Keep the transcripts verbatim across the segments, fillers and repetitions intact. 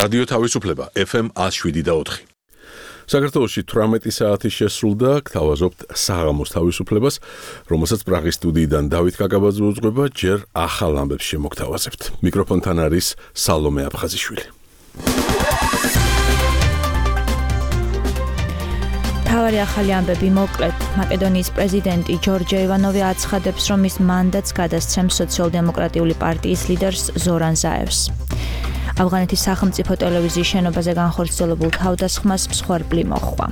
რადიო თავისუფლება ეფ ემ one oh seven და four. საქართველოში თვრამეტი საათი შესრულდა, გთავაზობთ საღამოს თავისუფლებას, რომელსაც პრაღის სტუდიიდან დავით კაკაბაძე უძღვება, ჯერ ახალ ამბებს შემოგთავაზებთ. მიკროფონთან არის სალომე აფხაზიშვილი. თავარი ახალი ამბები მოკლედ. მაკედონიის პრეზიდენტი ჯორჯ ივანოვი აცხადებს, რომ ის მანდატს გადასცემს სოციალ-დემოკრატიული პარტიის ლიდერს ზორან ზაევს. ავღანეთის სახელმწიფო ტელევიზიის შენობაზე განხორციელებულ თავდასხმას მსხვერპლი მოჰყვა.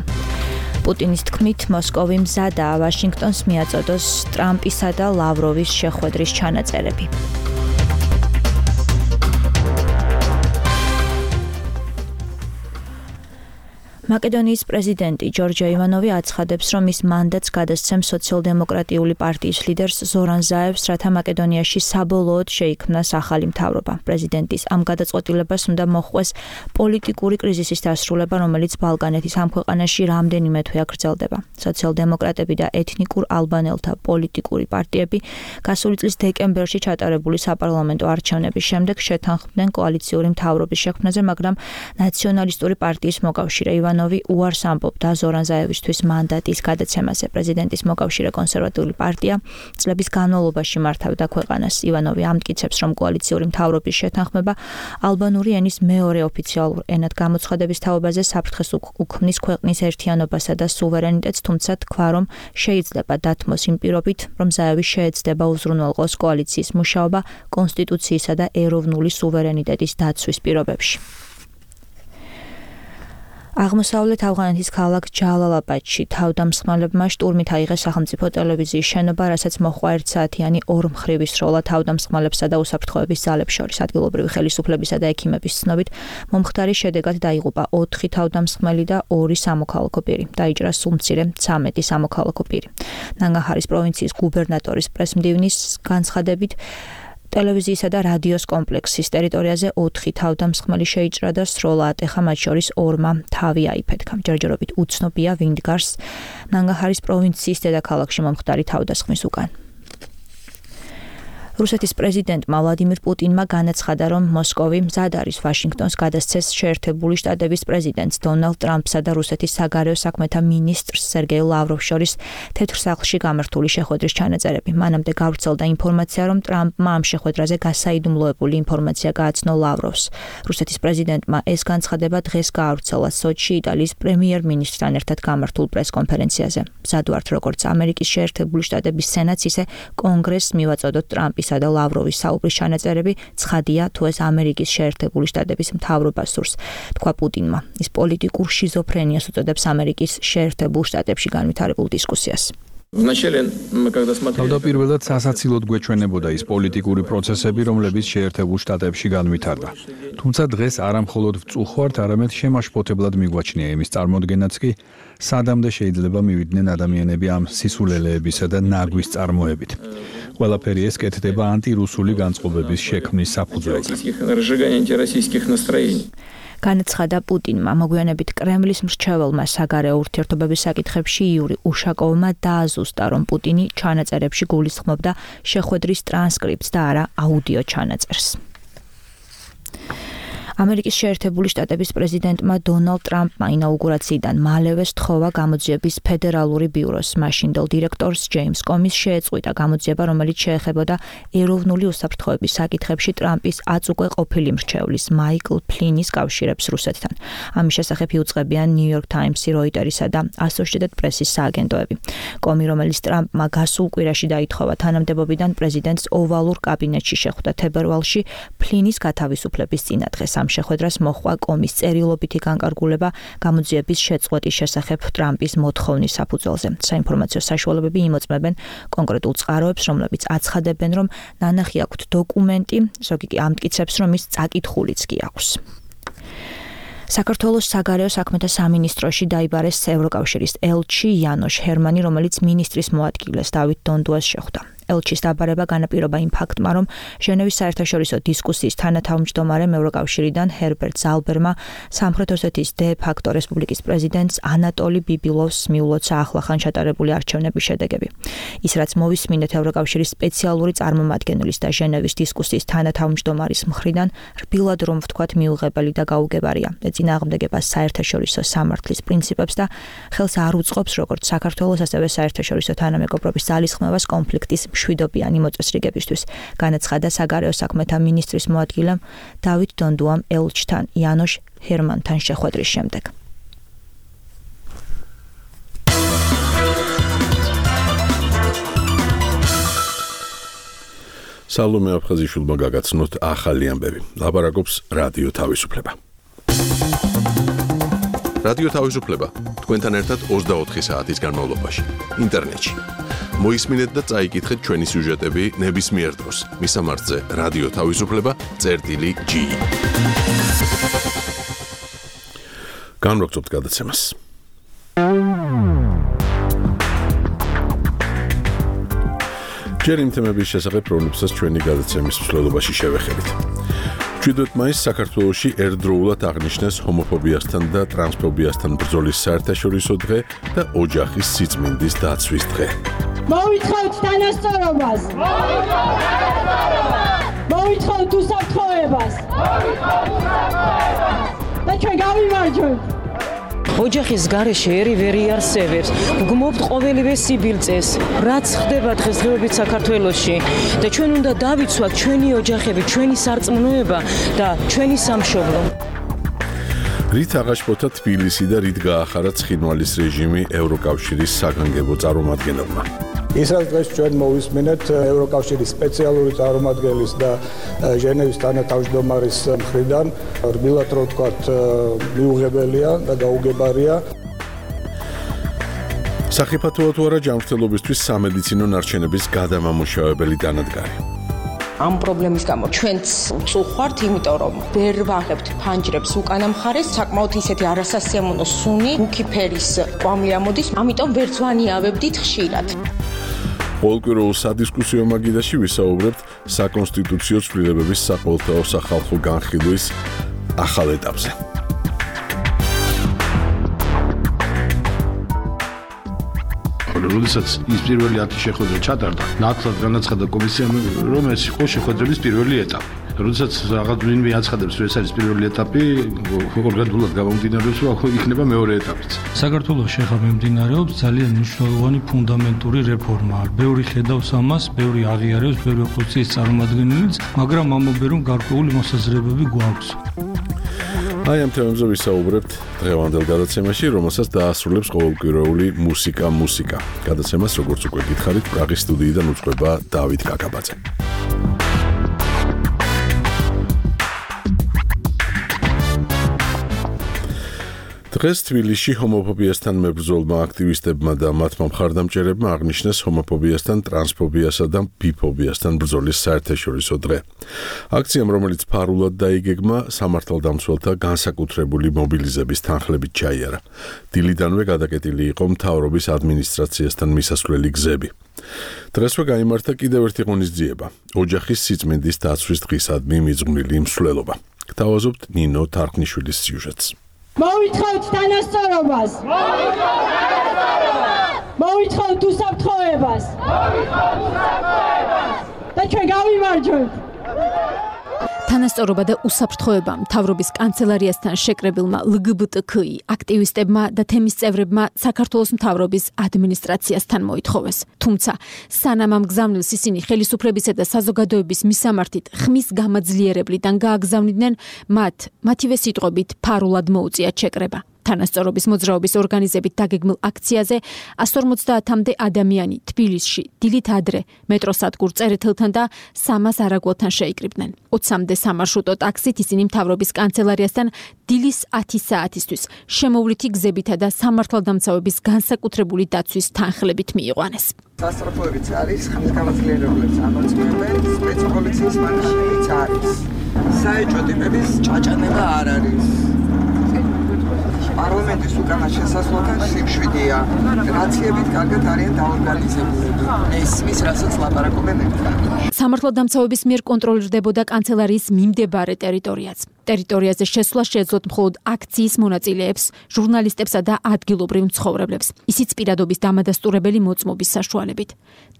პუტინის თქმით, მოსკოვი მზადაა ვაშინგტონს მიაწოდოს ტრამპისა და ლავროვის შეხვედრის ჩანაწერები. მაკედონიის პრეზიდენტი ჯორჯ ივანოვი აცხადებს, რომ ის მანდატს გადასცემს სოციალ-დემოკრატიული პარტიის ლიდერს ზორან ზაევს, რათა მაკედონიაში საბოლოოდ შეიქმნას ახალი მთავრობა. პრეზიდენტის ამ გადაწყვეტილებას უნდა მოჰყვეს პოლიტიკური კრიზისის დასრულება, რომელიც ბალკანეთის ამ ქვეყანაში რამდენიმე თვეა გრძელდება. სოციალ-დემოკრატები და ეთნიკურ ალბანელთა პოლიტიკური პარტიები გასული წლის დეკემბერში ჩატარებული საპარლამენტო არჩევნების შემდეგ შეთანხმდნენ კოალიციური მთავრობის შექმნაზე, მაგრამ ნაციონალისტური პარტიის მოკავშირე ივანოვი უარს ამბობდა ზორან ზაევისთვის მანდატის გადაცემაზე. პრეზიდენტის მოკავშირე კონსერვატიული პარტია წლების განმავლობაში მართავდა ქვეყანას. ივანოვი ამტკიცებს, რომ კოალიციური მთავრობის შეთანხმება ალბანური ენის მეორე ოფიციალურ ენად გამოცხადების თაობაზე საფრთხეს უქმნის ქვეყნის ერთიანობასა და სუვერენიტეტს, თუმცა თქვა, რომ შეიძლება დათმოს იმ პირობით, რომ ზაევი შეეცდება უზრუნველყოს კოალიციის მუშაობა კონსტიტუციისა და ეროვნული სუვერენიტეტის დაცვის პირობებში. აღმოსავლეთ ავღანეთის ქალაქ ჯალალაბადში თავდამსხმელებმა შტურმით აიღეს სახელმწიფო ტელევიზიის შენობა, რასაც მოჰყვა ერთსაათიანი ორმხრივი სროლა თავდამსხმელებსა და უსაფრთხოების ძალებს შორის. ადგილობრივი ხელისუფლებისა და ექიმების ცნობით, მომხდარის შედეგად დაიღუპა ოთხი თავდამსხმელი და ორი სამოქალაქო პირი. დაიჭრა სულ მცირე ცამეტი სამოქალაქო პირი. ნანგაჰარის პროვინციის გუბერნატორის პრესმდივნის განცხადებით, ტელევიზიისა და რადიოს კომპლექსის ტერიტორიაზე ოთხი თავდამსხმელი შეიჭრა და სროლა ატეხა, მათ შორის ორმა თავი აიფეთქა. ჯერჯერობით უცნობია, ვინ დგას ნანგაჰარის პროვინციის დედაქალაქში მომხდარი თავდასხმის უკან. რუსეთის პრეზიდენტმა ვლადიმირ პუტინმა განაცხადა, რომ მოსკოვი მზად არის ვაშინგტონს გადასცეს შეერთებული შტატების პრეზიდენტს დონალდ ტრამპსა და რუსეთის საგარეო საქმეთა მინისტრს სერგეი ლავროვს შორის თეთრ სახლში გამართული შეხვედრის ჩანაწერები. მანამდე გავრცელდა ინფორმაცია, რომ ტრამპმა ამ შეხვედრაზე გასაიდუმლოებული ინფორმაცია გააცნო ლავროვს. რუსეთის პრეზიდენტმა ეს განცხადება დღეს გაავრცელა სოჩში იტალიის პრემიერ-მინისტრთან ერთად გამართულ პრესკონფერენციაზე. მზად ვართ, როგორც ამერიკის შეერთებული შტატების სენატს, ისე კონგრესს მივაწოდოთ ტრამპის და ლავროვის საუბრის ჩანაწერები, ცხადია, თუ ეს ამერიკის შეერთებული შტატების მთავრობა სურს, თქვა პუტინმა. ის პოლიტიკურ შიზოფრენიას უწოდებს ამერიკის შეერთებულ შტატებში განვითარებულ დისკუსიას. თავდაპირველად სასაცილოდ გვეჩვენებოდა ის პოლიტიკური პროცესები, რომლებიც შეერთებულ შტატებში განვითარდა. თუმცა დღეს არა მხოლოდ ვწუხართ, არამედ შემაშფოთებლად მიგვაჩნია იმის წარმოდგენაც კი, სადამდე შეიძლება მივიდნენ ადამიანები ამ სისულელეებისა და ნაგვის წარმოებით. ყველაფერი ეს კეთდება ანტირუსული განწყობების შექმნის საფუძველზე. განაცხადა პუტინმა. მოგვიანებით კრემლის მრჩეველმა საგარეო ურთიერთობების საკითხებში იური უშაკოვმა დააზუსტა, რომ პუტინი ჩანაწერებში გულისხმობდა შეხვედრის ტრანსკრიპტს და არა აუდიო ჩანაწერს. ამერიკის შეერთებული შტატების პრეზიდენტმა დონალდ ტრამპმა ინაუგურაციიდან მალევე სთხოვა გამოძიების ფედერალური ბიუროს მაშინდელ დირექტორს ჯეიმს კომის შეეწყვიტა გამოძიება, რომელიც შეეხებოდა ეროვნული უსაფრთხოების საკითხებში ტრამპის აც უკვე ყოფილი მრჩევლის მაიკლ ფლინის კავშირებს რუსეთთან. ამის შესახებ იუწყებიან ნიუ-იორკ ტაიმსი, როიტერისა და ასოციეიტედ პრესის სააგენტოები. კომი, რომელიც ტრამპმა გასულ კვირაში დაითხოვა თანამდებობიდან, პრეზიდენტს ოვალურ კაბინეტში შეხვდა თებერვალში ფლინის გათავისუფლების წინადღეს. ამ შეხვედრას მოჰყვა კომის წერილობითი განკარგულება გამოძიების შეწყვეტის შესახებ ტრამპის მოთხოვნის საფუძველზე. საინფორმაციო საშუალებები იმოწმებენ კონკრეტულ წყაროებს, რომლებიც აცხადებენ, რომ ნანახი აქვთ დოკუმენტი, ზოგი კი ამტკიცებს, რომ ის წაკითხულიც კი აქვს. საქართველოს საგარეო საქმეთა სამინისტროში დაიბარეს ევროკავშირის ელჩი იანოშ ჰერმანი, რომელიც მინისტრის მოადგილეს დავით დონდუას შეხვდა. ელჩის დაბარება განაპირობა იმ ფაქტმა, რომ ჟენევის საერთაშორისო დისკუსიის თანათავმჯდომარემ ევროკავშირიდან ჰერბერტ ზალბერმა სამხრეთ ოსეთის დე ფაქტო რესპუბლიკის პრეზიდენტს ანატოლი ბიბილოვს მიულოცა ახლახან ჩატარებული არჩევნების შედეგები. ის რაც მოვისმინეთ ევროკავშირის სპეციალური წარმომადგენლის და ჟენევის დისკუსიის თანათავმჯდომარის მხრიდან რბილად რომ ვთქვათ მიუღებელი და გაუგებარია. ეწინააღმდეგება საერთაშორისო სამართლის პრინციპებს და ხელს არ უწყობს როგორც საქართველოს ასევე საერთაშორისო თანამეგობრობის ძალისხმევას კონფლიქტის მშვიდობიანი მოწესრიგებისთვის, განაცხადა საგარეო საქმეთა მინისტრის მოადგილემ დავით დონდუამ ელჩთან იანოშ ჰერმანთან შეხვედრის შემდეგ. სალომე აფხაზიშვილმა გაგაცნოთ ახალი ამბები. ლაპარაკობს რადიო თავისუფლება. რადიო თავისუფლება თქვენთან ერთად ოცდაოთხი საათის განმავლობაში ინტერნეტში. მოისმინეთ და წაიკითხეთ ჩვენი სიუჟეტები ნებისმიერ დროს. მისამართზე რადიო თავისუფლება წერტილი ჯი. განვრცობთ გადაცემას. ჯერ იმ თემების შესახებ, რომლებსაც ჩვენი გადაცემის მსვლელობაში შევეხებით. მშვიდობით მაისს საქართველოში ერთდროულად აღნიშნეს ჰომოფობიასთან და ტრანსფობიასთან ბრძოლის საერთაშორისო დღე და ოჯახის სიწმინდის დაცვის დღე. მოვითხოვთ თანასწორობას! მოვითხოვთ უსაფრთხოებას! და ჩვენ გავიმარჯვებთ! ოჯახის გარეშე ერი ვერ იარსებებს. გგმობთ ყოველივე სიბილწეს, რაც ხდება დღესდღეობით საქართველოში და ჩვენ უნდა დავიცვათ ჩვენი ოჯახები, ჩვენი სარწმუნოება და ჩვენი სამშობლო. რით აღაშფოთა თბილისი და რით გაახარა ცხინვალის რეჟიმი ევროკავშირის საგანგებო წარმომადგენელმა. ის რაც დღეს ჩვენ მოვისმენთ ევროკავშირის სპეციალური წარმომადგენლის და ჟენევის თანათავმჯდომარის მხრიდან, რბილად რო ვთქვათ, მიუღებელია და გაუგებარია. სახიფათოა თუ არა ჯანმრთელობისთვის სამედიცინო ნარჩენების გადამამუშავებელი დანადგარი. ამ პრობლემის გამო ჩვენც ვწუხართ, იმიტომ რომ ვერ ვაღებთ ფანჯრებს უკანა მხარეს, საკმაოდ ისეთი არასასიამოვნო სუნი, მუქი ფერის კვამლი ამოდის, ამიტომ ვერც ვანიავებდით ხშირად. ყოველკვირეულ სადისკუსიო მაგიდაში ვისაუბრებთ საკონსტიტუციო ცვლილებების საყოველთაო სახალხო განხილვის ახალ ეტაპზე. როდესაც ის პირველი ათი შეხვედრა ჩატარდა, ნათლად განაცხადა კომისიამ, რომ ეს იყო შეხვედრების პირველი ეტაპი. როდესაც რაღაც ვინმე აცხადებს, რომ ეს არის პირველი ეტაპი, ორგანულად გამომდინარეობს, რომ იქნება მეორე ეტაპიც. საქართველოში ახლა მიმდინარეობს ძალიან მნიშვნელოვანი ფუნდამენტური რეფორმა. ბევრი ხედავს ამას, ბევრი აღიარებს, ბევრი ოპოზიციის წარმომადგენელიც, მაგრამ ამბობენ, რომ გარკვეული მოსაზრებები გვაქვს. აი ამ თემებზე ვისაუბრებთ დღევანდელ გადაცემაში, რომელსაც დაასრულებს ყოველკვირეული მუსიკა მუსიკა. გადაცემას როგორც უკვე გითხარით, პრაღის სტუდიიდან უძღვება დავით კაკაბაძე. დღეს თბილისში ჰომოფობიასთან მებრძოლმა აქტივისტებმა და მათმა მხარდამჭერებმა აღნიშნეს ჰომოფობიასთან, ტრანსფობიასა და ბიფობიასთან ბრძოლის საერთაშორისო დღე. აქციამ, რომელიც ფარულად დაიგეგმა, სამართალდამცველთა განსაკუთრებული მობილიზების თანხლებით ჩაიარა. დილიდანვე გადაკეტილი იყო მთავრობის ადმინისტრაციასთან მისასვლელი გზები. დღესვე გაიმართა კიდევ ერთი ღონისძიება, ოჯახის სიწმინდის დაცვის დღისადმი მიძღვნილი მსვლელობა. გთავაზობთ ნინო თარხნიშვილის სიუჟეტს. მოვითხოვთ თანასწორობას! მოვითხოვთ უსაფრთხოებას! და ჩვენ გავიმარჯვებთ! თანასწორობა და უსაფრთხოება მთავრობის კანცელარიასთან შეკრებილმა ელ გი ბი ტი კი აქტივისტებმა და თემის წევრებმა საქართველოს მთავრობის ადმინისტრაციასთან მოითხოვეს. თუმცა სანამ ამ გზავნილს ისინი ხელისუფლებისა და საზოგადოების მისამართით ხმის გამაძლიერებლიდან გააგზავნიდნენ, მათ მათივე სიტყვებით ფარულად მოუწიათ შეკრება. თანასწორობის მოძრაობის ორგანიზებით დაგეგმილ აქციაზე εκατს ორმოცდაათამდე ადამიანი თბილისში დილით ადრე მეტროსადგურ წერეთელთან და სამას არაგველთან შეიკრიბნენ. ოცამდე სამარშრუტო ტაქსით ისინი მთავრობის კანცელარიასთან დილის ათი საათისთვის შემოვლითი გზებითა და სამართალდამცავების განსაკუთრებული დაცვის თანხლებით მიიყვანეს. სასწრაფოებიც არის, ხმის გამაძლიერებლებს ამოწმებენ, სპეცპოლიციის მანქანებიც არის. საეჭვო ტიპების ჭაჭანება არ არის. პარლამენტის უკანა შესასვლელთან სიმშვიდეა. რაციებით კარგად არიან დაორგანიზებულები. ისმის, რასაც ლაპარაკობენ ერთად. სამართალდამცავების მიერ კონტროლირდებოდა კანცელარიის მიმდებარე ტერიტორიაც. ტერიტორიაზე შესვლა შეეძლოთ მხოლოდ აქციის მონაწილეებს, ჟურნალისტებსა და ადგილობრივ მცხოვრებლებს. ისიც პირადობის დამადასტურებელი მოწმობის საშუალებით.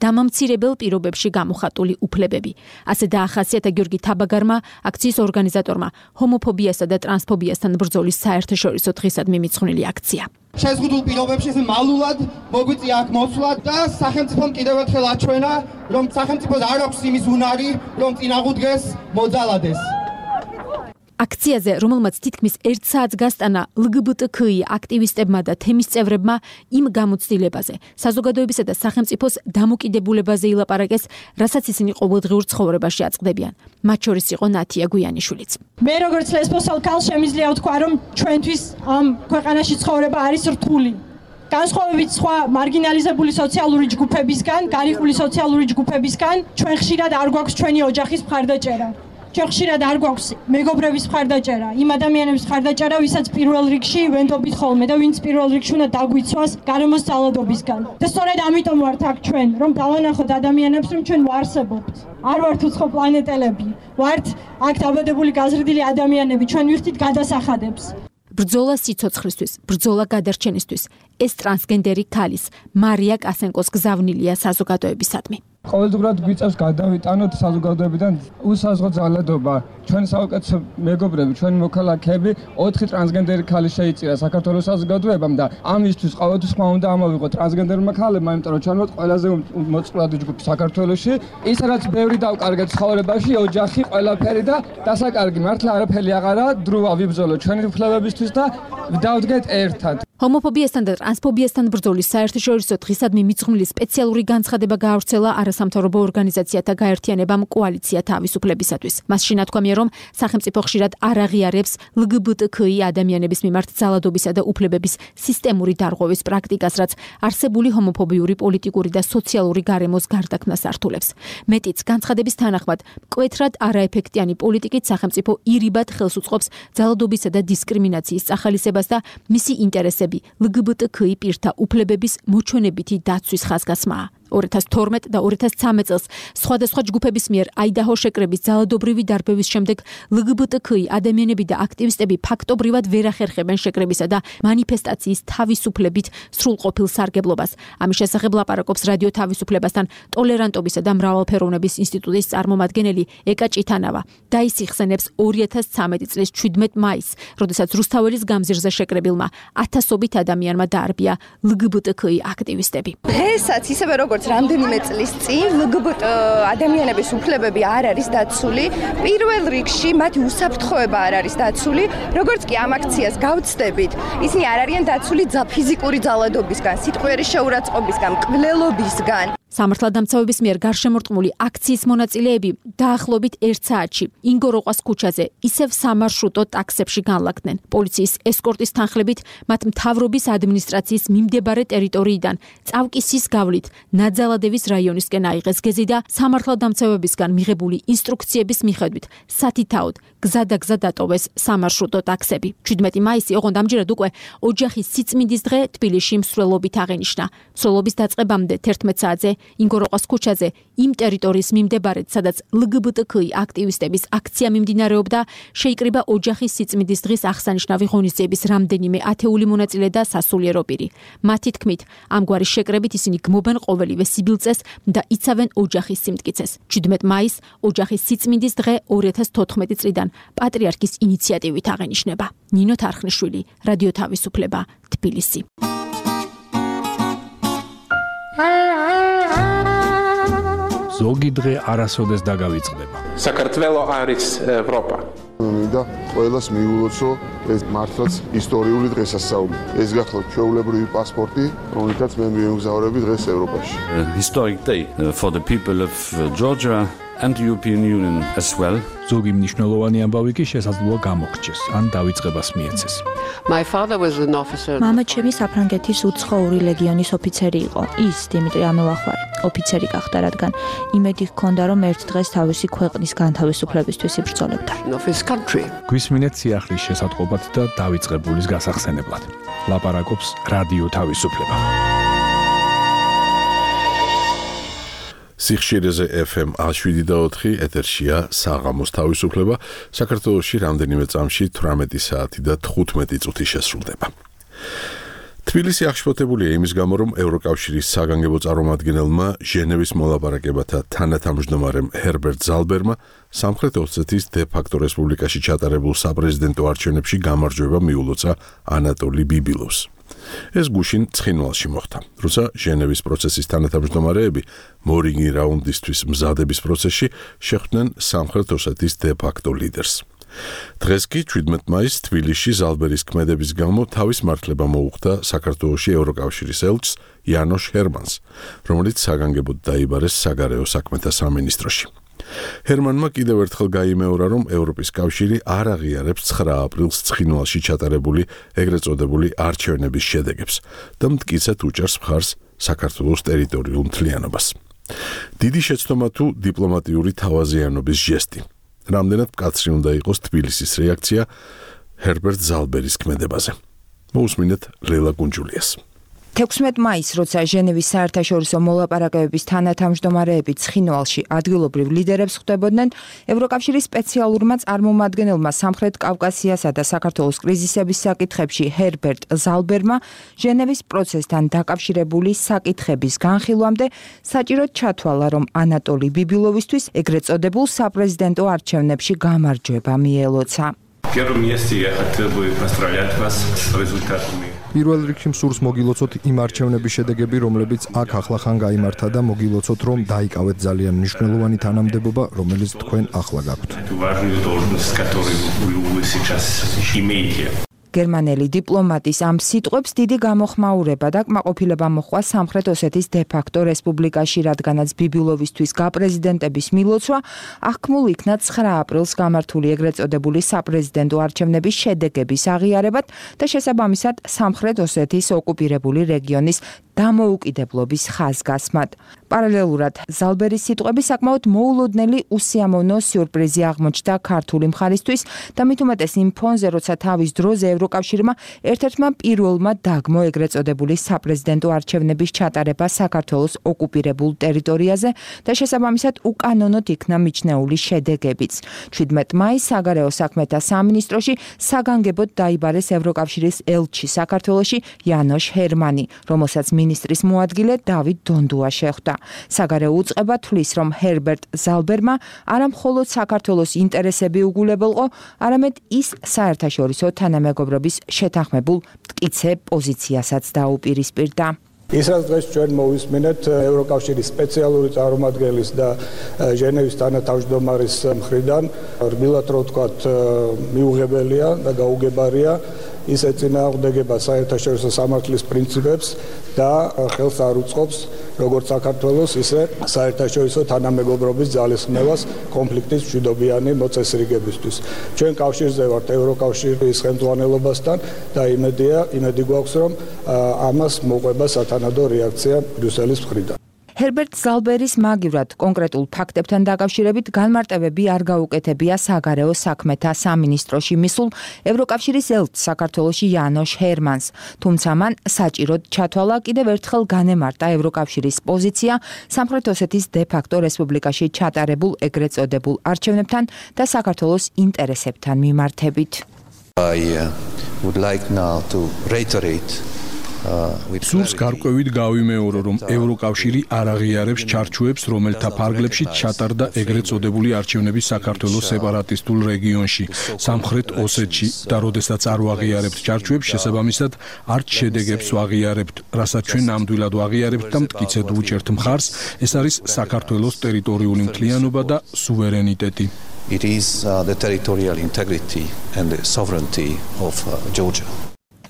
დამამცირებელ პირობებში გამოხატული უფლებები. ასე დაახასიათა გიორგი თაბაგარმა, აქციის ორგანიზატორმა, ჰომოფობიასა და ტრანსფობიასთან ბრძოლის საერთაშორისო დღისად მიმიცხვნილი აქცია. შეზღუდულ პირობებში მალულად მოგვიწია აქ მოსვლა და სახელმწიფომ კიდევ ერთხელ აჩვენა, რომ სახელმწიფოს არ აქვს იმის უნარი, რომ წინააღმდეგეს მოძალადეს. აქციაზე, რომელმაც თითქმის ერთ საათს გასტანა ლგბტქი აქტივისტებმა და თემის წევრებმა იმ გამოცდილებაზე, საზოგადოებისა და სახელმწიფოს დამოკიდებულებაზე ილაპარაკეს, რასაც ისინი ყოველდღიურ ცხოვრებაში აწყდებიან. მათ შორის იყო ნათია გვიანიშვილიც. მე როგორც ლესბოსელ ქალს შემიძლია ვთქვა, რომ ჩვენთვის ამ ქვეყანაში ცხოვრება არის რთული. განსხვავებით სხვა მარგინალიზებული სოციალური ჯგუფებისგან, გარიყული სოციალური ჯგუფებისგან, ჩვენ ხშირად არ გვაქვს ჩვენი ოჯახის მხარდაჭერა. ჩვენ ხშირად არ გვაქვს მეგობრების მხარდაჭერა, იმ ადამიანების მხარდაჭერა, ვისაც პირველ რიგში ვენდობით ხოლმე და ვინც პირველ რიგში უნდა დაგვიცვას გარემოს ძალადობისგან. და სწორედ ამიტომ ვართ აქ ჩვენ, რომ დავანახოთ ადამიანებს, რომ ჩვენ ვარსებობთ. არ ვართ უცხო პლანეტელები, ვართ აქ დაბადებული გაზრდილი ადამიანები, ჩვენ ვიხდით გადასახადებს. ბრძოლა სიცოცხლისთვის, ბრძოლა გადარჩენისთვის. ეს ტრანსგენდერი ქალის, მარია კასენკოს გზავნილია საზოგადოებისადმი. ყოველდღურად გვიწევს გადავიტანოთ საზოგადოებიდან უსაზღრო ძალადობა. ჩვენ საუკეთესო მეგობრები, ჩვენი მოქალაქეები, ოთხი ტრანსგენდერი ქალი შეიწირა საქართველოს საზოგადოებამ და ამისთვის ყოველთვის ხმა უნდა ამოვიღოთ ტრანსგენდერმა ქალებმა, იმიტომ რომ ჩვენ ვართ ყველაზე მოწყვლადი ჯგუფი საქართველოში. ის რაც ბევრი დავკარგეთ ცხოვრებაში, ოჯახი, ყველაფერი და დასაკარგი მართლა არაფერი აღარა, დროა ვიბრძოლოთ ჩვენი უფლებებისთვის და დავდგეთ ერთად. ჰომოფობიასთან და ტრანსფობიასთან ბრძოლის საერთაშორისო დღისადმი მიძღვნილი სპეციალური განცხადება გაავრცელა არასამთავრობო ორგანიზაციათა გაერთიანებამ კოალიცია თავისუფლებისათვის. მას შინათქვამია, რომ სახელმწიფო ხშირად არ აღიარებს ლგბტქი ადამიანების მიმართ ძალადობისა და უფლებების სისტემური დარღვევის პრაქტიკას, რაც არსებული ჰომოფობიური პოლიტიკური და სოციალური გარემოს გარდაქმნას ართულებს. მეტიც, განცხადების თანახმად, მკვეთრად არაეფექტიანი პოლიტიკით სახელმწიფო ირიბად ხელს უწყობს ძალადობისა და დისკრიმინაციის წახალისებას და მისი ინტერესები ლგბტქი პირთა უფლებების მოჩვენებითი დაცვის ხაზგასმაა. ორი ათას თორმეტ და ორი ათას ცხრამეტ წელს სხვადასხვა ჯგუფების მიერ აიდაჰო შეკრების ძალადობრივი დარბევის შემდეგ ლგბტქი ადამიანები და აქტივისტები ფაქტობრივად ვერ ახერხებენ შეკრებისა და მანიფესტაციის თავისუფლებით სრულყოფილ სარგებლობას. ამის შესახებ ლაპარაკობს რადიო თავისუფლებასთან ტოლერანტობისა და მრავალფეროვნების ინსტიტუტის წარმომადგენელი ეკა ჭითანავა და ის იხსენებს ორი ათას ცხრამეტი წლის შვიდმეტ მაისს, როდესაც რუსთაველის გამზირზე შეკრებილმა ათასობით ადამიანმა დაარბია ლგბტქი აქტივისტები. დღესაც ისევე როგორც რამდენიმე წლის წინ ლგბტ ადამიანების უფლებები არ არის დაცული, პირველ რიგში მათი უსაფრთხოება არ არის დაცული, როგორც კი ამ აქციას გავწდებით, ისინი არ არიან დაცული ფიზიკური ძალადობისგან, სიტყვიერი შეურაცხყოფისგან, მკვლელობისგან. სამართალდამცავების მიერ გარშემორტყმული აქციის მონაწილეები დაახლოებით ერთ საათში ინგოროყვას ქუჩაზე ისევ სამარშრუტო ტაქსებში განლაგდნენ. პოლიციის ესკორტის თანხლებით მათ მთავრობის ადმინისტრაციის მიმდებარე ტერიტორიიდან წავკისის გავლით ნაძალადევის რაიონისკენ აიღეს გეზი და სამართალდამცავებისგან მიღებული ინსტრუქციების მიხედვით სათითაოდ გზადაგზა დატოვეს სამარშრუტო ტაქსები. შვიდმეტი მაისი, ოღონდ ამჯერად უკვე ოჯახის სიწმინდის დღე თბილისში მსვლელობით აღენიშნა. მსვლელობის დაწყებამდე თერთმეტ საათზე ინგოროყვას ქუჩაზე იმ ტერიტორიის მიმდებარედ, სადაც ლგბტქი აქტივისტების აქცია მიმდინარეობდა, შეიკრიბა ოჯახის სიწმინდის დღის აღსანიშნავი ღონისძიების რამდენიმე ათეული მონაწილე და სასულიერო პირი. მათი თქმით, ამგვარი შეკრებით ისინი გმობენ ყოველივე სიბილწეს და იცავენ ოჯახის სიმტკიცეს. შვიდმეტ მაისს ოჯახის სიწმინდის დღე ორი ათას თოთხმეტი წლიდან პატრიარქის ინიციატივით აღენიშნება. ნინო თარხნიშვილი, რადიო თავისუფლება, თბილისი. ზოგი დღე არასოდეს დაგავიწყდება. საქართველო არის ევროპა. მინდა ყველას მიულოცო ეს მართლაც ისტორიული დღესასწაული. ეს გახლავთ ჩვეულებრივი პასპორტი, რომელთაც მე მივემგზავრები დღეს ევროპაში. Historic day for the people of Georgia and the European Union as well. ზოგი მნიშვნელოვანი ამბავი კი შესაძლოა გამოგრჩეს, ან დავიწყებას მიეცეს. My father was an officer. მამა ჩემი საფრანგეთის უცხოური ლეგიონის ოფიცერი იყო. ის დიმიტრი ამელახვარი ოფიცერი გახდა, რადგან იმედი ჰქონდა, რომ ერთ დღეს თავისი ქვეყნის განთავისუფლებისთვის იბრძოლებდა. გვისმინეთ სიახლის შესატყობად და დავიწყებულის გასახსენებლად. ლაპარაკობს რადიო თავისუფლება. სიხშირეზე ეფ ემ შვიდი და ოთხი ეთერშია საღამოს თავისუფლება. საქართველოში რამდენიმე წამში თვრამეტი საათი და თხუთმეტი წუთი შესრულდება. თბილისი აღშფოთებულია იმის გამო, რომ ევროკავშირის საგანგებო წარმომადგენელმა ჟენევის მოლაპარაკებათა თანათავმჯდომარემ ჰერბერტ ზალბერმა სამხრეთ ოსეთის დე-ფაქტო რესპუბლიკაში ჩატარებულ საპრეზიდენტო არჩევნებში გამარჯვება მიულოცა ანატოლი ბიბილოვს. ეს გუშინ ცხინვალში მოხდა, როცა ჟენევის პროცესის თანათავმჯდომარეები მორიგი რაუნდისთვის მზადების პროცესში შეხვდნენ სამხრეთ ოსეთის დე-ფაქტო ლიდერს. დღეს კი შვიდმეტ მაისს თბილისში ზალბერის ქმედების გამო თავის მართლება მოუხდა საქართველოში ევროკავშირის ელჩს იანოშ ჰერმანს, რომელიც საგანგებოდ დაიბარეს საგარეო საქმეთა სამინისტროში. ჰერმანმა კიდევ ერთხელ გაიმეორა, რომ ევროპის კავშირი არ აღიარებს ცხრა აპრილს ცხინვალში ჩატარებული ეგრეთ წოდებული არჩევნების შედეგებს და მტკიცედ უჭერს მხარს საქართველოს ტერიტორიულ მთლიანობას. დიდი შეცდომა თუ დიპლომატიური თავაზიანობის ჟესტი. რამდენად მკაცრი უნდა იყოს თბილისის რეაქცია ჰერბერტ ზალბერის ქმედებაზე. მოусმინეთ ლელა გუნჯულიას. თექვსმეტ მაისს, როცა ჟენევის საერთაშორისო მოლაპარაკებების თანათავმჯდომარეები ცხინვალში ადგილობრივ ლიდერებს ხვდებოდნენ, ევროკავშირის სპეციალურმა წარმომადგენელმა სამხრეთ კავკასიასა და საქართველოს კრიზისების საკითხებში ჰერბერტ ზალბერმა ჟენევის პროცესთან დაკავშირებული საკითხების განხილვამდე საჭიროდ ჩათვალა, რომ ანატოლი ბიბილოვისთვის ეგრეთ წოდებულ საპრეზიდენტო არჩევნებში გამარჯვება მიელოცა. პირველ რიგში მსურს მოგილოცოთ იმ არჩევნების შედეგები, რომლებიც აქ ახლახან გაიმართა და მოგილოცოთ, რომ დაიკავეთ ძალიან მნიშვნელოვანი თანამდებობა, რომელიც თქვენ ახლა გაქვთ. გერმანელი დიპლომატის ამ სიტყვებს დიდი გამოხმაურება და კმაყოფილება მოჰყვა სამხრეთ ოსეთის დე-ფაქტო რესპუბლიკაში, რადგანაც ბიბილოვისთვის გაპრეზიდენტების მილოცვა აღქმულ იქნა ცხრა აპრილს გამართული ეგრეთ წოდებული საპრეზიდენტო არჩევნების შედეგების აღიარებად და შესაბამისად სამხრეთ ოსეთის ოკუპირებული რეგიონის დამოუკიდებლობის ხაზგასმად. პარალელურად ზალბერის სიტყვები საკმაოდ მოულოდნელი უსიამოვნო სიურპრიზი აღმოჩნდა ქართული მხარისთვის და მით უმეტეს იმ ფონზე, როცა თავის დროზე ევროკავშირმა ერთ-ერთმა პირველმა დაგმო ეგრეთ წოდებული საპრეზიდენტო არჩევნების ჩატარება საქართველოს ოკუპირებულ ტერიტორიაზე და შესაბამისად უკანონოდ იქნა მიჩნეული შედეგებიც. შვიდმეტ მაისს საგარეო საქმეთა სამინისტროში საგანგებოდ დაიბარეს ევროკავშირის ელჩი საქართველოში იანოშ ჰერმანი, რომელსაც მინისტრის მოადგილე დავით დონდუა შეხვდა. საგარეო უწყება თვლის, რომ ჰერბერტ ზალბერმა არა მხოლოდ საქართველოს ინტერესები უგულებელყო, არამედ ის საერთაშორისო თანამეგობრობის შეთანხმებულ მტკიცე პოზიციასაც დაუპირისპირდა. ის რაც დღეს ჩვენ მოვისმენთ ევროკავშირის სპეციალური წარმომადგენლის და ჟენევის თანათავმჯდომარის მხრიდან, რბილად რო ვთქვათ, მიუღებელია და გაუგებარია. ის ეწინააღმდეგება საერთაშორისო სამართლის პრინციპებს და ხელს არ უწყობს როგორც საქართველოს, ისე საერთაშორისო თანამეგობრობის ძალისხმევას კონფლიქტის მშვიდობიანი მოწესრიგებისთვის. ჩვენ კავშირზე ვართ ევროკავშირის ხელმძღვანელობასთან და იმედია, იმედი გვაქვს, რომ ამას მოყვება სათანადო რეაქცია ბრიუსელის მხრიდან. ჰერბერტ ზალბერის მაგივრად კონკრეტულ ფაქტებთან დაკავშირებით განმარტებები არ გაუკეთებია საგარეო საქმეთა სამინისტროში მისულ ევროკავშირის ელჩს საქართველოში იანოშ ჰერმანს, თუმცა მან საჭიროდ ჩათვალა კიდევ ერთხელ განემარტა ევროკავშირის პოზიცია სამხრეთ ოსეთის დე-ფაქტო რესპუბლიკაში ჩატარებულ ეგრეთ წოდებულ არჩევნებთან და საქართველოს ინტერესებთან მიმართებით. I would like now to reiterate სურს გარკვევით გავიმეორო, რომ ევროკავშირი არ აღიარებს ჩარჩოებს, რომელთა ფარგლებში ჩატარდა ეგრეთ წოდებული არჩევნები საქართველოს სეპარატისტულ რეგიონში, სამხრეთ ოსეთში და როდესაც არ ვაღიარებთ ჩარჩოებს, შესაბამისად არც შედეგებს ვაღიარებთ, რასაც ჩვენ ნამდვილად ვაღიარებთ და მტკიცედ ვუჭერთ მხარს, ეს არის საქართველოს ტერიტორიული მთლიანობა და სუვერენიტეტი. It is uh, the territorial integrity and the sovereignty of uh, Georgia.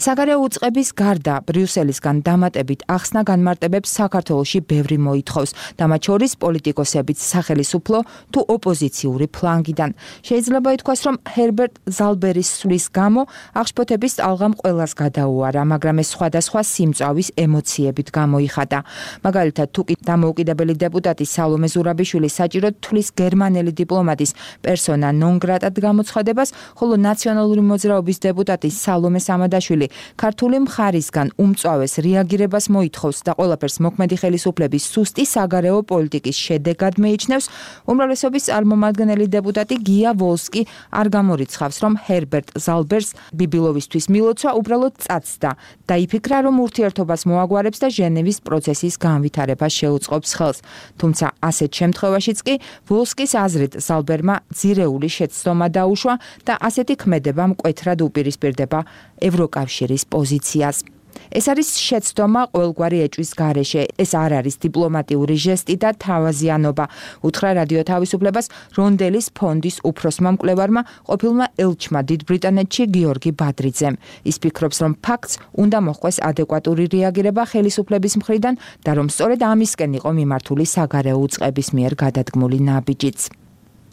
საგარეო უწყების გარდა ბრიუსელისგან დამატებით ახსნა განმარტებებს საქართველოში ბევრი მოითხოვს და მათ შორის პოლიტიკოსებიც სახელისუფლო თუ ოპოზიციური ფლანგიდან. შეიძლება ითქვას, რომ ჰერბერტ ზალბერის სვლის გამო აღშფოთების ტალღამ ყველას გადაუარა, მაგრამ ეს სხვადასხვა სიმწავის ემოციებით გამოიხადა. მაგალითად, თუ კი დამოუკიდებელი დეპუტატი სალომე ზურაბიშვილი საჭიროდ თვლის გერმანელი დიპლომატის პერსონა ნონ გრატად გამოცხადებას, ხოლო ნაციონალური მოძრაობის დეპუტატი სალომე სამადაშვილი ქართული მხარისგან უმწვავეს რეაგირებას მოითხოვს და ყველაფერს მოქმედი ხელისუფლების სუსტი საგარეო პოლიტიკის შედეგად მეიჩნევს, უმრავლესობის წარმომადგენელი დეპუტატი გია ვოლსკი არ გამორიცხავს, რომ ჰერბერტ ზალბერს ბიბილოვისთვის მილოცვა უბრალოდ წაცდა. დაიფიქრა, რომ ურთიერთობას მოაგვარებს და ჟენევის პროცესის განვითარებას შეუწყობს ხელს. თუმცა ასეთ შემთხვევაშიც კი ვოლსკის აზრით ზალბერმა ძირეული შეცდომა დაუშვა და ასეთი ქმედება მკვეთრად უპირისპირდება ევროკავშირის პოზიციას. ეს არის შეცდომა ყოველგვარი ეჭვის გარეშე. ეს არ არის დიპლომატიური ჟესტი და თავაზიანობა, უთხრა რადიო თავისუფლებას რონდელის ფონდის უფროსმა მკვლევარმა, ყოფილმა ელჩმა დიდ ბრიტანეთში გიორგი ბადრიძემ. ის ფიქრობს, რომ ფაქტს უნდა მოჰყვეს ადეკვატური რეაგირება ხელისუფლების მხრიდან და რომ სწორედ ამისკენ იყო მიმართული საგარეო უწყების მიერ გადადგმული ნაბიჯიც.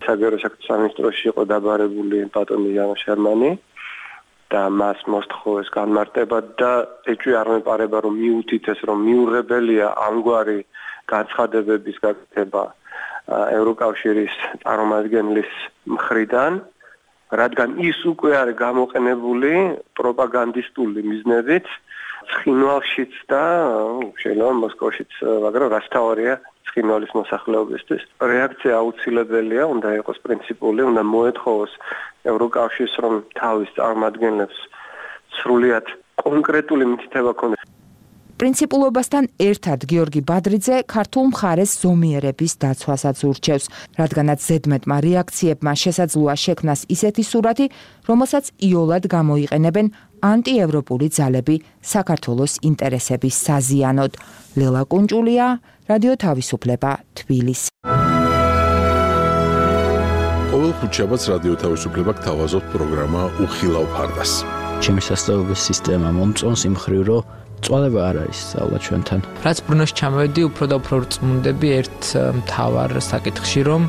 საგარეო საქმეთა სამინისტროში იყო დაბარებული ბატონი იან შერმანი და მას მოსთხოვეს განმარტება და ეჭვი არ მეპარება, რომ მიუთითეს, რომ მიუღებელია ამგვარი განცხადებების გაკეთება ევროკავშირის წარმომადგენლის მხრიდან, რადგან ის უკვე არის გამოყენებული პროპაგანდისტული მიზნებით ცხინვალშიც და შეიძლება მოსკოვშიც, მაგრამ რაც თავარია ცხინვალის მოსახლეობისთვის. რეაქცია აუცილებელია, უნდა იყოს პრინციპული, უნდა მოეთხოვოს ევროკავშირს, რომ თავის წარმომადგენლებს სრულიად კონკრეტული მითითება ქონდეს. პრინციპულობასთან ერთად გიორგი ბადრიძე ქართულ მხარეს ზომიერების დაცვასაც ურჩევს, რადგანაც ზედმეტმა რეაქციებმა შესაძლოა შექმნას ისეთი სურათი, რომელსაც იოლად გამოიყენებენ ანტიევროპული ძალები საქართველოს ინტერესების საზიანოდ. ლელა კუნჭულია, რადიო თავისუფლება, თბილისი. ყოველ ხუთშაბათს რადიო თავისუფლება გთავაზობთ პროგრამა უხილავ ფარდას. ჩემი სასწავლებელი სისტემა მომწონს იმ მხრივ, რომ წვალება არ არის სწავლა ჩვენთან. რაც ბრუნოში ჩამოვედი, უფრო და უფრო რწმუნდები ერთ მთავარ საკითხში, რომ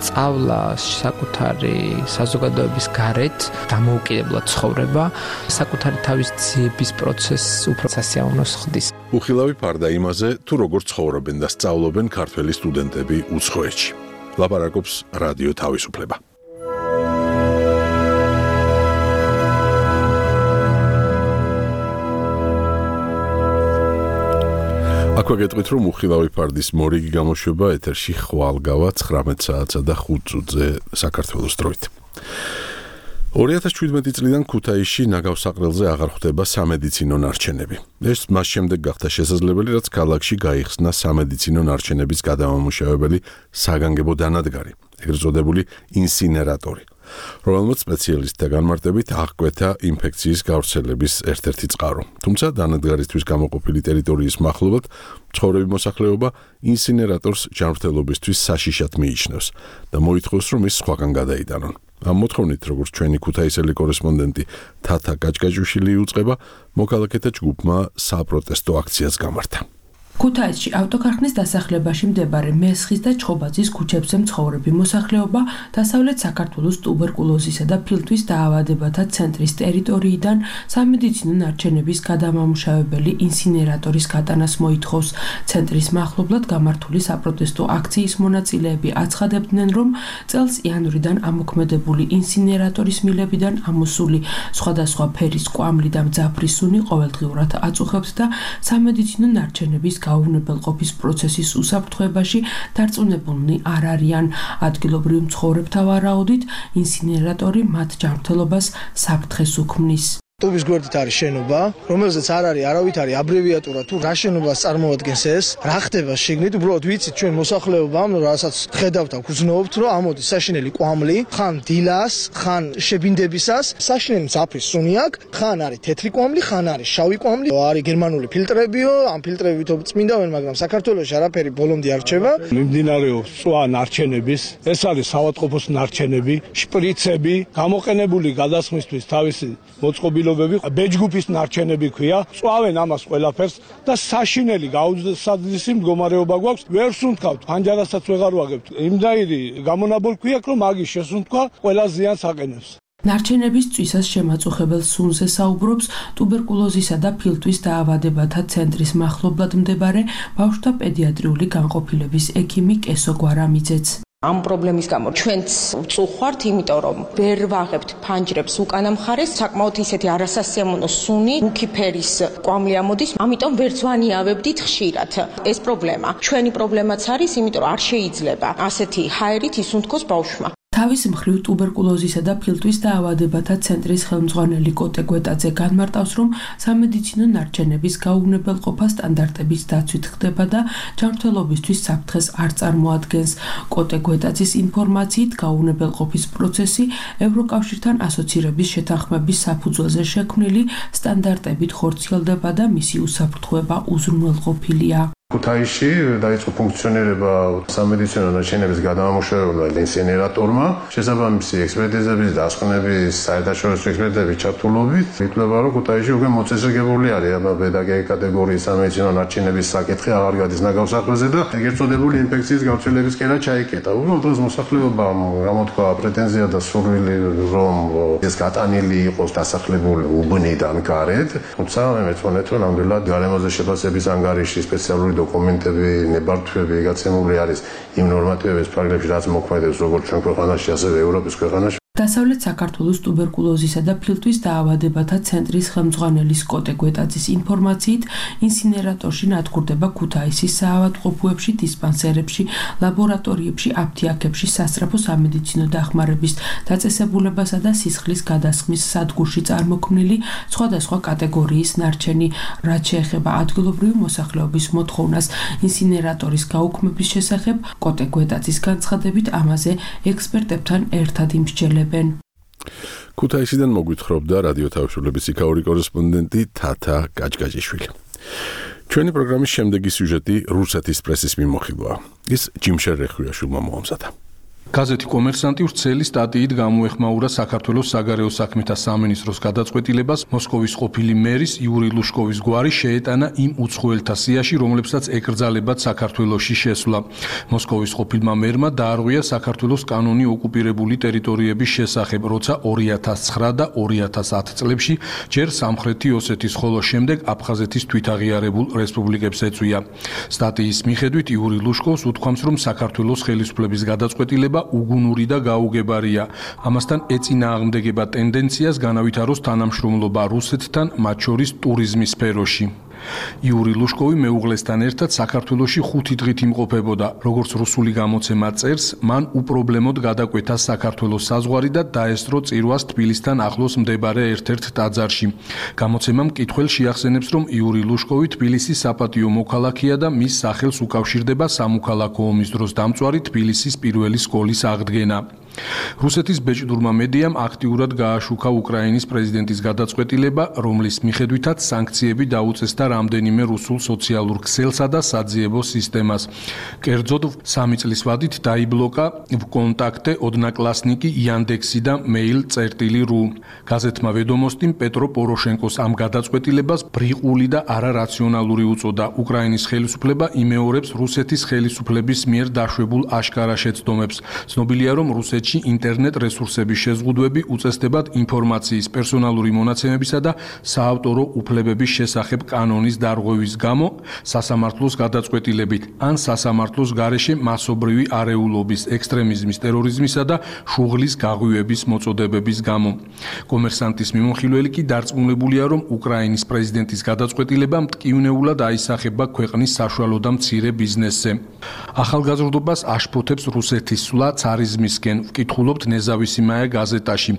სწავლა საკუთარი საზოგადოების გარეთ დამოუკიდებლად ცხოვრება, საკუთარი თავის ძიების პროცესს უფრო სასიამოვნოს ხდის. უხილავი ფარდა იმაზე, თუ როგორ ცხოვრობენ და სწავლობენ ქართველი სტუდენტები უცხოეთში. ლაპარაკობს რადიო თავისუფლება. აქვე გეტყვით, რომ უხილავი ფარდის მორიგი გამოშვება ეთერში ხვალგავა ცხრამეტ საათსა და ხუთ წუთზე საქართველოს დროით. ორი ათას შვიდმეტი წლიდან ქუთაისში ნაგავსაყრელზე აღარ ხვდება სამედიცინო ნარჩენები. ეს მას შემდეგ გახდა შესაძლებელი, რაც ქალაქში გაიხსნა სამედიცინო ნარჩენების გადამამუშავებელი საგანგებო დანადგარი, ეგრეთ წოდებული ინსინერატორი, რომელმაც სპეციალისტთა განმარტებით აღკვეთა ინფექციის გავრცელების ერთ-ერთი წყარო. თუმცა დანადგარისთვის გამოყოფილი ტერიტორიის მახლობლად მცხოვრები მოსახლეობა ინსინერატორს ჯანმრთელობისთვის საშიშად მიიჩნევს და მოითხოვს, რომ ის სხვაგან გადაიტანონ. ამ მოთხოვნით, როგორც ჩვენი ქუთაისელი კორესპონდენტი თათა გაჭგაჭუშვილი იუწყება, მოქალაქეთა ჯგუფმა საპროტესტო აქციას გამართა. ქუთაისში ავტოქარხნის დასახლებაში მდებარე მესხის და ჩხობაძის ქუჩებზე მცხოვრები მოსახლეობა დასავლეთ საქართველოს ტუბერკულოზისა და ფილტვის დაავადებათა ცენტრის ტერიტორიიდან სამედიცინო ნარჩენების გადამამუშავებელი ინსინერატორის გატანას მოითხოვს. ცენტრის მახლობლად გამართული საპროტესტო აქციის მონაწილეები აცხადებდნენ, რომ წელს იანვრიდან ამოქმედებული ინსინერატორის მილებიდან ამოსული სხვადასხვა ფერის კვამლი და მძაფრის სუნი ყოველდღიურად აწუხებს და სამედიცინო ნარჩენების გაუვნებელყოფის პროცესის უსაფრთხოებაში დარწმუნებულნი არ არიან. ადგილობრივ მცხოვრებთა ვარაუდით, ინსინერატორი მათ ჯანმრთელობას საფრთხეს უქმნის. ტუბის გვერდით არის შენობა, რომელზეც არ არის არავითარი აბრევიატურა თუ რა შენობას წარმოადგენს ეს, რა ხდება შიგნით, უბრალოდ ვიცით ჩვენ მოსახლეობამ, რასაც ხედავთ და გრძნობთ, რომ ამოდის საშინელი კვამლი, ხან დილას, ხან შებინდებისას, საშინელი მძაფრის სუნი აქვს, ხან არის თეთრი კვამლი, ხან არის შავი კვამლი, არის გერმანული ფილტრებიო, ამ ფილტრებით წმინდავენ, მაგრამ საქართველოში არაფერი ბოლომდე არ რჩება. მიმდინარეობს წვა ნარჩენების, ეს არის საავადმყოფოს ნარჩენები, შპრიცები, გამოყენებული გადასხმისთვის თავისი მოწყობილობები, ბეჯგუფის ნარჩენები ქვია, წვავენ ამას ყველაფერს და საშინელი გაუძლისი მდგომარეობა გვაქვს, ვერ სუნთქავთ, ფანჯარასაც ვეღარ ვაგებთ. იმდაირი გამონაბოლ ქვია, რომ მაგის შესუნთქვა ყველა ზიანს აყენებს. ნარჩენების წვისას შემაწუხებელ სუნზე საუბრობს ტუბერკულოზისა და ფილტვის დაავადებათა ცენტრის მახლობლად მდებარე ბავშვთა პედიატრიული განყოფილების ექიმი კესო გვარამიძეც. ამ პრობლემის გამო ჩვენც ვწუხვართ, იმიტომ რომ ვერ ვაღებთ ფანჯრებს უკანა მხარეს, საკმაოდ ისეთი არასასიამოვნო სუნი, მუქი ფერის კვამლი ამოდის, ამიტომ ვერც ვანიავებდით ხშირად. ეს პრობლემა ჩვენი პრობლემაც არის, იმიტომ რომ არ შეიძლება ასეთი ჰაერით ისუნთქოს ბავშვმა. თავის მხრივ ტუბერკულოზისა და ფილტვის დაავადებათა ცენტრის ხელმძღვანელი კოტე გვეტაძე განმარტავს, რომ სამედიცინო ნარჩენების გაუვნებელყოფა სტანდარტების დაცვით ხდება და ჯანმრთელობისთვის საფრთხეს არ წარმოადგენს. კოტე გვეტაძის ინფორმაციით, გაუვნებელყოფის პროცესი ევროკავშირთან ასოცირების შეთანხმების საფუძველზე შექმნილი სტანდარტებით ხორციელდება და მისი უსაფრთხოება უზრუნველყოფილია. ქუთაისში დაიწყო ფუნქციონირება სამედიცინო ნარჩენების გადამამუშავებლად ინსინერატორმა. შესაბამისი ექსპერტიზების და ასხნების საერთაშორისო ექსპერტების ჩართულობით ითვლება, რომ ქუთაისში უკვე მოწესრიგებული არის აბა პედაგოგიური კატეგორიის სამედიცინო ნარჩენების საკითხი აღარ გადის ნაგავ საქმეზე და ეგრეთ წოდებული ინფექციის გავრცელების კერა ჩაიკეტა. უბრალოდ დღეს მოსახლეობამ გამოთქვა პრეტენზია და სურვილი, რომ ეს გატანილი იყოს დასახლებული უბნიდან გარეთ. თუმცა მე მეცნიერად რომ ნამდვილად გარემოზე შეფასების ანგარიში სპეციალური დოკუმენტები, ნებართვები გაცემული არის იმ ნორმატივების ფარგლებში, რაც მოქმედებს როგორც ჩვენ ქვეყანაში, ასევე ევროპის ქვეყანაში. დასავლეთ საქართველოს ტუბერკულოზისა და ფილტვის დაავადებათა ცენტრის ხელმძღვანელის კოტე გვეტაძის ინფორმაციით, ინსინერატორში ნადგურდება ქუთაისის საავადმყოფოებში, დისპანსერებში, ლაბორატორიებში, აფთიაქებში, სასწრაფო სამედიცინო დახმარების დაწესებულებასა და სისხლის გადასხმის სადგურში წარმოქმნილი სხვადასხვა კატეგორიის ნარჩენი, რაც შეეხება ადგილობრივი მოსახლეობის მოთხოვნას ინსინერატორის გაუქმების შესახებ, კოტე გვეტაძის განცხადებით ამაზე ექსპერტებთან ერთად იმსჯელებენ. ქუთაისიდან მოგვითხრობდა რადიო თავისუფლების იქაური კორესპონდენტი თათა კაჭკაჭიშვილი. ჩვენი პროგრამის შემდეგი სიუჟეტი რუსეთის პრესის მიმოხილვაა. ის ჯიმშერ რეხვიაშვილმა მოამზადა. გაზეთი კომერსანტი ვრცელი სტატიით გამოეხმაურა საქართველოს საგარეო საქმეთა სამინისტროს გადაწყვეტილებას მოსკოვის ყოფილი მერის იური ლუშკოვის გვარი შეეტანა იმ უცხოელთა სიაში, რომლებსაც ეკრძალებათ საქართველოში შესვლა. მოსკოვის ყოფილმა მერმა დაარღვია საქართველოს კანონი ოკუპირებული ტერიტორიების შესახებ, როცა ორი ათას ცხრა და ორი ათას ათი წლებში ჯერ სამხრეთი ოსეთის, ხოლო შემდეგ აფხაზეთის თვითაღიარებულ რესპუბლიკებს ეწვია. სტატიის მიხედვით იური ლუშკოვს უთქვამს, რომ საქართველოს ხელისუფლების გადაწყვეტილება უგუნური და გაუგებარია. ამასთან ეწინააღმდეგება ტენდენციას განავითაროს თანამშრომლობა რუსეთთან, მათ შორის ტურიზმის სფეროში. იური ლუშკოვი მეუღლესთან ერთად საქართველოში ხუთი დღით იმყოფებოდა. როგორც რუსული გამოცემა წერს, მან უპრობლემოდ გადაკვეთა საქართველოს საზღვარი და დაესწრო წირვას თბილისთან ახლოს მდებარე ერთ-ერთ ტაძარში. გამოცემა მკითხველს შეახსენებს, რომ იური ლუშკოვი თბილისის საპატიო მოქალაქეა და მის სახელს უკავშირდება სამოქალაქო ომის დროს დამწვარი თბილისის პირველი სკოლის აღდგენა. რუსეთის ბეჭდურმა მედიამ აქტიურად გააშუქა უკრაინის პრეზიდენტის გადაწყვეტილება, რომლის მიხედვითაც სანქციები დაუწესდა რამდენიმე რუსულ სოციალურ ქსელსა და საძიებო სისტემას. კერძოდ, სამი წლის ვადით დაიბლოკა ვკონტაქტე, ოდნაკლასნიკი, იანდექსი და mail.ru. გაზეთმა ვედომოსტიმ პეტრო პოროშენკოს ამ გადაწყვეტილებას ბრიყული და არარაციონალური უწოდა. უკრაინის ხელისუფლება იმეორებს რუსეთის ხელისუფლების მიერ დაშვებულ აშკარა შეცდომებს. ცნობილია, რომ რუსეთში ინტერნეტ რესურსების შეზღუდვები უწესდებათ ინფორმაციის, პერსონალური მონაცემებისა და საავტორო უფლებების შესახებ კანონის დარღვევის გამო, სასამართლოს გადაწყვეტილებით, ან სასამართლოს გარეშე მასობრივი არეულობის, ექსტრემიზმის, ტერორიზმისა და შუღლის გაღვივების მოწოდებების გამო. კომერსანტის მიმოხილველი კი დარწმუნებულია, რომ უკრაინის პრეზიდენტის გადაწყვეტილება მტკივნეულად აისახება ქვეყნის საშუალო და მცირე ბიზნესზე. ახალგაზრდობას აშფოთებს რუსეთის სვლა ცარიზმისკენ, ვკითხულობთ ნეზავისიმაია გაზეტაში,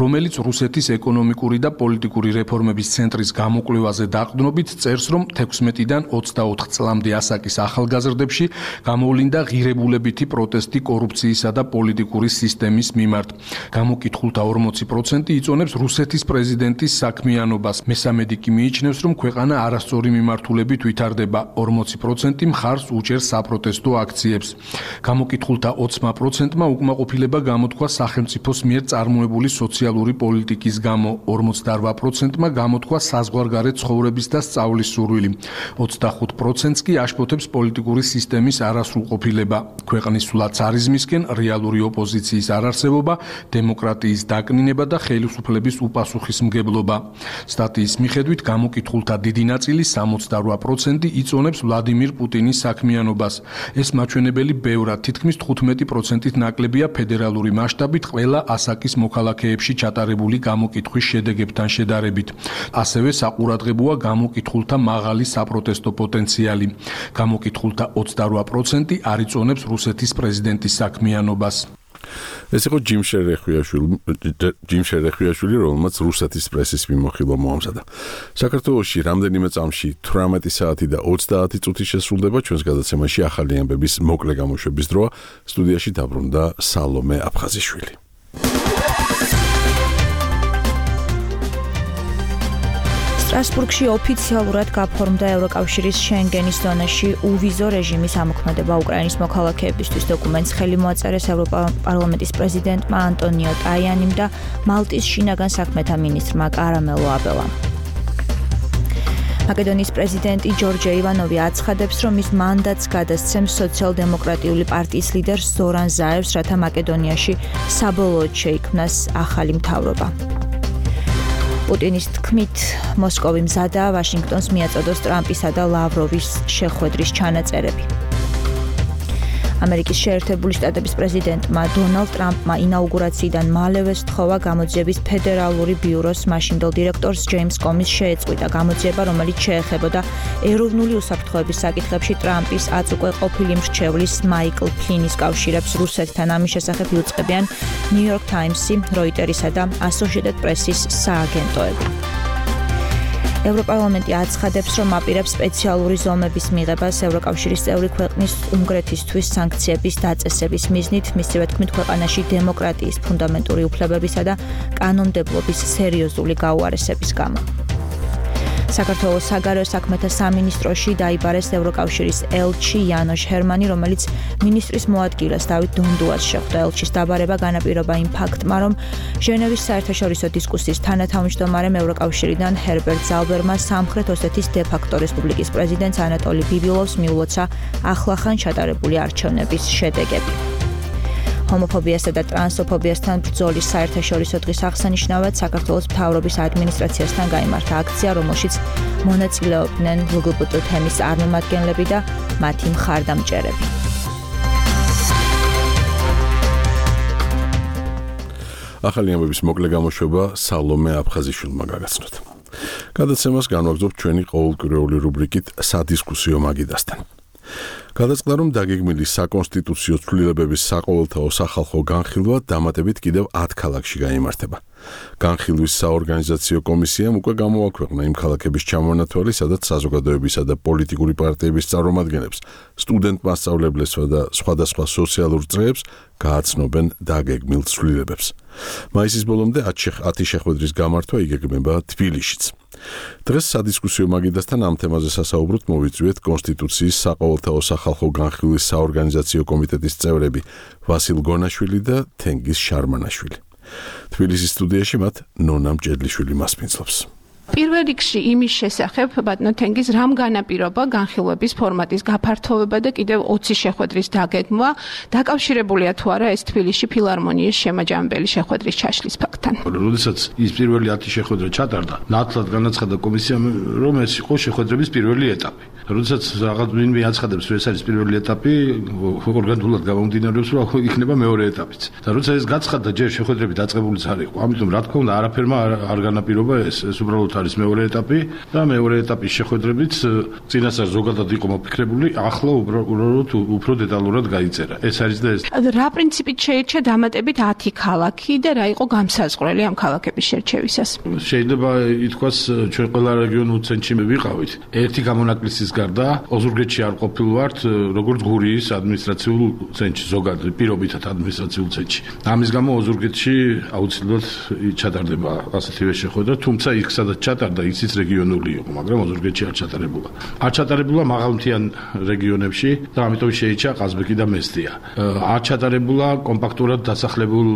რომელიც რუსეთის ეკონომიკური და პოლიტიკური რეფორმების ცენტრის გამოკვლევაზე დაყრდნობით წერს, რომ თექვსმეტიდან ოცდაოთხ წლამდე ასაკის ახალგაზრდებში გამოვლინდა ღირებულებითი პროტესტი კორუფციისა და პოლიტიკური სისტემის მიმართ. გამოკითხულთა ორმოცი პროცენტი იწონებს რუსეთის პრეზიდენტის საქმიანობას, მესამედი კი მიიჩნევს, რომ ქვეყანა არასწორი მიმართულებით ვითარდება, ორმოცი პროცენტი მხარს უჭერს საპროტესტო აქციებს. გამოკითხულთა ოცმა პროცენტმა უკმაყოფილება გამოთქვა სახელმწიფოს მიერ წარმოებული სოციალური პოლიტიკის გამო, ორმოცდაორ პროცენტმა გამოთქვა საზღვარგარეთ ცხოვრების და სწავლის სურვილი, ოცდახუთ პროცენტს კი აშფოთებს პოლიტიკური სისტემის არასრულყოფილება, ქვეყნის სულ ცარიზმისკენ რეალური ოპოზიციის არარსებობა, დემოკრატიის დაკნინება და ხელისუფლების უპასუხისმგებლობა. სტატიის მიხედვით გამოკითხულთა დიდი ნაწილი სამოცდაორ პროცენტი იწონებს ვლადიმირ პუტინის საქმიანობას. ეს მაჩვენებელი ბევრად თითქმის თხუთმეტი პროცენტით ნაკლებია ფედერალური მასშტაბით ყველა ასაკის მოქალაქეებში ჩატარებული გამოკითხვის შედეგებთან შედარებით. ასევე საყურადღებოა გამოკითხულთა მაღალი საპროტესტო პოტენციალი. გამოკითხულთა ოცდაორ პროცენტი არ იწონებს რუსეთის პრეზიდენტის საქმიანობას. ეს იყო ჯიმ შერეხვიაშვილი, ჯიმ შერეხვიაშვილი, რომელმაც რუსეთის პრესის მიმოხილვა მოამზადა. საქართველოში რამდენიმე წამში თვრამეტი საათი და ოცდაათი წუთი შესრულდება ჩვენს გადაცემაში ახალი ამბების მოკლე გამოშვების დროა. სტუდიაში დაბრუნდა სალომე აფხაზიშვილი. სტრასბურგში ოფიციალურად გაფორმდა ევროკავშირის შენგენის ზონაში უვიზო რეჟიმის ამოქმედება უკრაინის მოქალაქეებისთვის. დოკუმენტს ხელი მოაწერეს ევროპარლამენტის პრეზიდენტმა ანტონიო ტაიანიმ და მალტის შინაგან საქმეთა მინისტრმა კარამელო აბელამ. მაკედონიის პრეზიდენტი ჯორჯე ივანოვი აცხადებს, რომ ის მანდატს გადასცემს სოციალ-დემოკრატიული პარტიის ლიდერს ზორან ზაევს, რათა მაკედონიაში საბოლოოდ შეიქმნას ახალი მთავრობა. პუტინის თქმით, მოსკოვი მზადაა ვაშინგტონს მიაწოდოს ტრამპისა და ლავროვის შეხვედრის ჩანაწერები. ამერიკის შეერთებული შტატების პრეზიდენტმა დონალდ ტრამპმა ინაუგურაციიდან მალევე სთხოვა გამოძიების ფედერალური ბიუროს მაშინდელ დირექტორს ჯეიმს კომის შეეწყვიტა გამოძიება, რომელიც შეეხებოდა ეროვნული უსაფრთხოების საკითხებში ტრამპის აც უკვე ყოფილი მრჩევლის მაიკლ ფლინის კავშირებს რუსეთთან. ამის შესახებ იუწყებიან ნიუ-იორკ ტაიმსი, როიტერისა და ასოციეიტედ პრესის სააგენტოები. ევროპარლამენტი აცხადებს, რომ აპირებს სპეციალური ზომების მიღებას ევროკავშირის წევრი ქვეყნის უნგრეთისთვის სანქციების დაწესების მიზნით, მისივე თქმით, ქვეყანაში დემოკრატიის ფუნდამენტური უფლებებისა და კანონმდებლობის სერიოზული გაუარესების გამო. საქართველოს საგარეო საქმეთა სამინისტროში დაიბარეს ევროკავშირის ელჩი იანოშ ჰერმანი, რომელიც მინისტრის მოადგილეს დავით დონდუას შეხვდა. ელჩის დაბარება განაპირობა იმ ფაქტმა, რომ ჟენევის საერთაშორისო დისკუსიის თანათავმჯდომარემ ევროკავშირიდან ჰერბერტ ზალბერმა სამხრეთ ოსეთის დე-ფაქტო რესპუბლიკის პრეზიდენტს ანატოლი ბიბილოვს მიულოცა ახლახან ჩატარებული არჩევნების შედეგები. ჰომოფობიასა და ტრანსოფობიასთან ბრძოლის საერთაშორისო დღის აღსანიშნავად საქართველოს მთავრობის ადმინისტრაციასთან გაიმართა აქცია, რომელშიც მონაწილეობდნენ ლგბტ თემის წარმომადგენლები და მათი მხარდამჭერები. ახალი ამბების მოკლე გამოშვება სალომე აფხაზიშვილმა გაგაცნოთ. გადაცემას განვაგრძობთ ჩვენი ყოველკვირეული რუბრიკით სადისკუსიო მაგიდასთან. გადაწყდა, რომ დაგეგმილი საკონსტიტუციო ცვლილებების საყოველთაო სახალხო განხილვა დამატებით კიდევ ათ ქალაქში გაიმართება. განხილვის საორგანიზაციო კომისიამ უკვე გამოაქვეყნა იმ ქალაქების ჩამონათვალი, სადაც საზოგადოებისა და პოლიტიკური პარტიების წარმომადგენლებს, სტუდენტ მასწავლებლებს და სხვადასხვა სოციალურ წრეებს გააცნობენ დაგეგმილ ცვლილებებს. მაისის ბოლომდე ათი შეხვედრის გამართვა იგეგმება თბილისშიც. დღეს სადისკუსიო მაგიდასთან ამ თემაზე სასაუბროთ მოვიწვიეთ კონსტიტუციის საყოველთაო სახალხო განხილვის საორგანიზაციო კომიტეტის წევრები ვასილ გონაშვილი და თენგიზ შარმანაშვილი. თბილისის სტუდიაში მათ ნონა მჭედლიშვილი მასპინძლობს. პირველ რიგში იმის შესახებ, ბატონო თენგიზ, რამ განაპირობა განხილვების ფორმატის გაფართოვება და კიდევ ოცი შეხვედრის დაგეგმვა, დაკავშირებულია თუ არა ეს თბილისში ფილარმონიის შემაჯამებელი შეხვედრის ჩაშლის ფაქტთან. როდესაც ის პირველი ათი შეხვედრა ჩატარდა, ნათლად განაცხადა კომისიამ, რომ ეს იყო შეხვედრების პირველი ეტაპი. როდესაც რაღაც ვინმე აცხადებს, რომ ეს არის პირველი ეტაპი, ორგანულად გამომდინარეობს, რომ იქნება მეორე ეტაპიც. და როცა ეს გაცხადდა, ჯერ შეხვედრები დაწყებულიც არ იყო. ამიტომ რა თქმა უნდა, არაფერმა არ განაპირობა ეს, ეს უბრალოდ არის მეორე ეტაპი და მეორე ეტაპის შეხვედრებით წინასწარ ზოგადად იყო მოფიქრებული, ახლა უბრალოდ უფრო დეტალურად გაიწერა. ეს არის და ეს. რა პრინციპით შეირჩა დამატებით ათი ქალაქი და რა იყო გამსაზღვრელი ამ ქალაქების შერჩევისას? შეიძლება ითქვას, ჩვენ ყველა რეგიონულ ცენტრში ვიყავით. ერთი გამონაკლისის გარდა ოზურგეთში არ ყოფილ ვართ როგორც გურიის ადმინისტრაციულ ცენტრში ზოგადად პირობითად ადმინისტრაციულ ცენტრში. ამის გამო ოზურგეთში აუცილებლად ჩატარდება ასეთივე შეხვედრა, თუმცა იქ სადაც ჩატარდა ისიც რეგიონული იყო, მაგრამ ოზურგეთში არ ჩატარებულა. არ ჩატარებულა მაღალმთიან რეგიონებში და ამიტომ შეიჭა ყაზბეგი და მესტია. არ ჩატარებულა კომპაქტურად დასახლებულ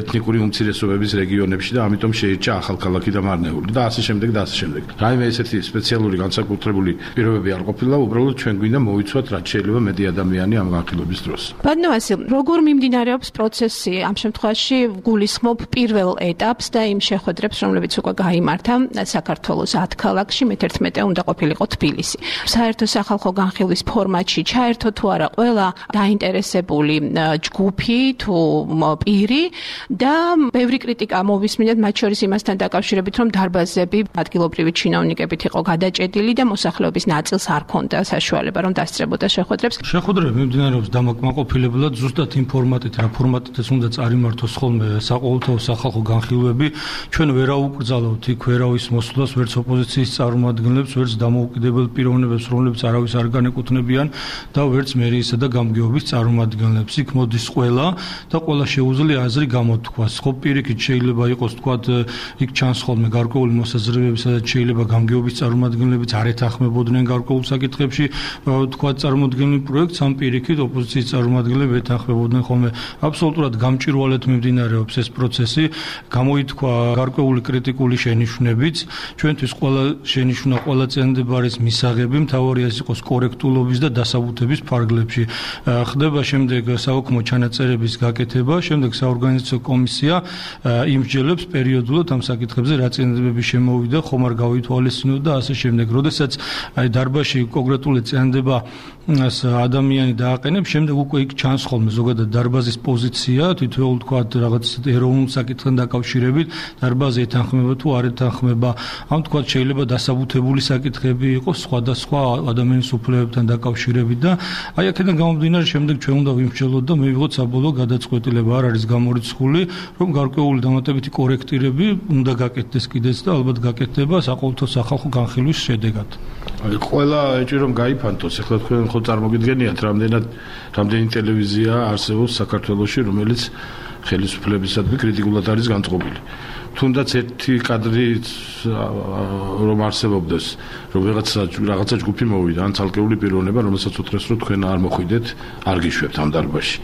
ეთნიკური უმცირესობების რეგიონებში და ამიტომ შეიჭა ახალქალაქი და მარნეული და ასე შემდეგ და ასე შემდეგ. რაიმე ესეთი სპეციალური განსაკუთრებული პირობები არ ყოფილა, უბრალოდ ჩვენ გვინდა მოვიცვათ რაც შეიძლება მეტი ადამიანი ამ განხილვების დროს. ბატონო ვასილ, როგორ მიმდინარეობს პროცესი? ამ შემთხვევაში გულისხმობ პირველ ეტაპს და იმ შეხვედრებს, რომლებიც უკვე გაიმართა საქართველოს ათ ქალაქში, მეთერთმეტე უნდა ყოფილიყო თბილისი. საერთო სახალხო განხილვის ფორმატში ჩაერთო თუ არა ყველა დაინტერესებული ჯგუფი თუ პირი და ბევრი კრიტიკა მოვისმინეთ მათ შორის იმასთან დაკავშირებით, რომ დარბაზები ადგილობრივი ჩინოვნიკებით იყო გადაჭედილი და მოსახლეობის ნაწილს არ ქონდა საშუალება რომ დასწრებოდა შეხვედრებს. შეხვედრები მიმდინარეობს დამაკმაყოფილებლად ზუსტად იმ ფორმატით, რა ფორმატითაც უნდა წარიმართოს ხოლმე საყოველთაო სახალხო განხილვები. ჩვენ ვერ აუკრძალავთ იქ ვერავის მოსვლას, ვერც ოპოზიციის წარმომადგენლებს, ვერც დამოუკიდებელ პიროვნებებს, რომლებიც არავის არ განეკუთვნებიან და ვერც მერიისა და გამგეობის წარმომადგენლებს. იქ მოდის ყველა და ყველა შეუძლია აზრი გამოთქვას. ხო, პირიქით შეიძლება იყოს თქვათ იქ ჩანს ხოლმე გარკვეული მოსაზრებები, სადაც შეიძლება გამგეობის წარმომადგენლებიც არ ეთანხმებოდნენ გარკვეულ საკითხებში, თქვათ წარმოდგენილ პროექტს, ამ პირიქით ოპოზიციის წარმომადგენლები ეთანხმებოდნენ ხოლმე. აბსოლუტურად გამჭვირვალედ მიმდინარეობს ეს პროცესი, გამოითქვა გარკვეული კრიტიკული შენიშვნებიც. ჩვენთვის ყველა შენიშვნა, ყველა წინადადება არის მისაღები, მთავარია ის იყოს კორექტულობის და დასაბუთების ფარგლებში. ხდება შემდეგ საოქმო ჩანაწერების გაკეთება, შემდეგ საორგანიზაციო კომისია იმსჯელებს პერიოდულად ამ საკითხებზე, რა წინადადებები შემოვიდა, ხომ არ გავითვალისწინოთ და ასე შემდეგ. როდესაც აი დარბაზში კონკრეტული წინადადება ადამიანი დააყენებს, შემდეგ უკვე იქ ჩანს ხოლმე ზოგადად დარბაზის პოზიცია, თითოეულ თქვათ რაღაც ეროვნულ საკითხთან დაკავშირებით, დარბაზი ეთანხმება თუ არ ეთანხმება. ამ თქვათ შეიძლება დასაბუთებული საკითხები იყოს სხვადასხვა ადამიანის უფლებებთან დაკავშირებით და აი აქედან გამომდინარე შემდეგ ჩვენ უნდა ვიმსჯელოთ და მივიღოთ საბოლოო გადაწყვეტილება. არ არის გამორიცხული, რომ გარკვეული დამატებითი კორექტირები უნდა გაკეთდეს კიდეც და ალბათ გაკეთდება საყოველთაო სახალხო განხილვის შედეგად. აი ყველა ეჭვი რომ გაიფანტოს, ახლა თქვენ ხო წარმოგიდგენიათ, რამდენად რამდენი ტელევიზია არსებობს საქართველოში, რომელიც ხელისუფლებისადმი კრიტიკულად არის განწყობილი. თუნდაც ერთი კადრი რომ არსებობდეს, რომ რაღაცა რაღაცა ჯგუფი მოვიდა, ან ცალკეული პიროვნება, რომელსაც უთხრეს, რომ თქვენ არ მოხვიდეთ, არ გიშვებთ ამ დარბაზში.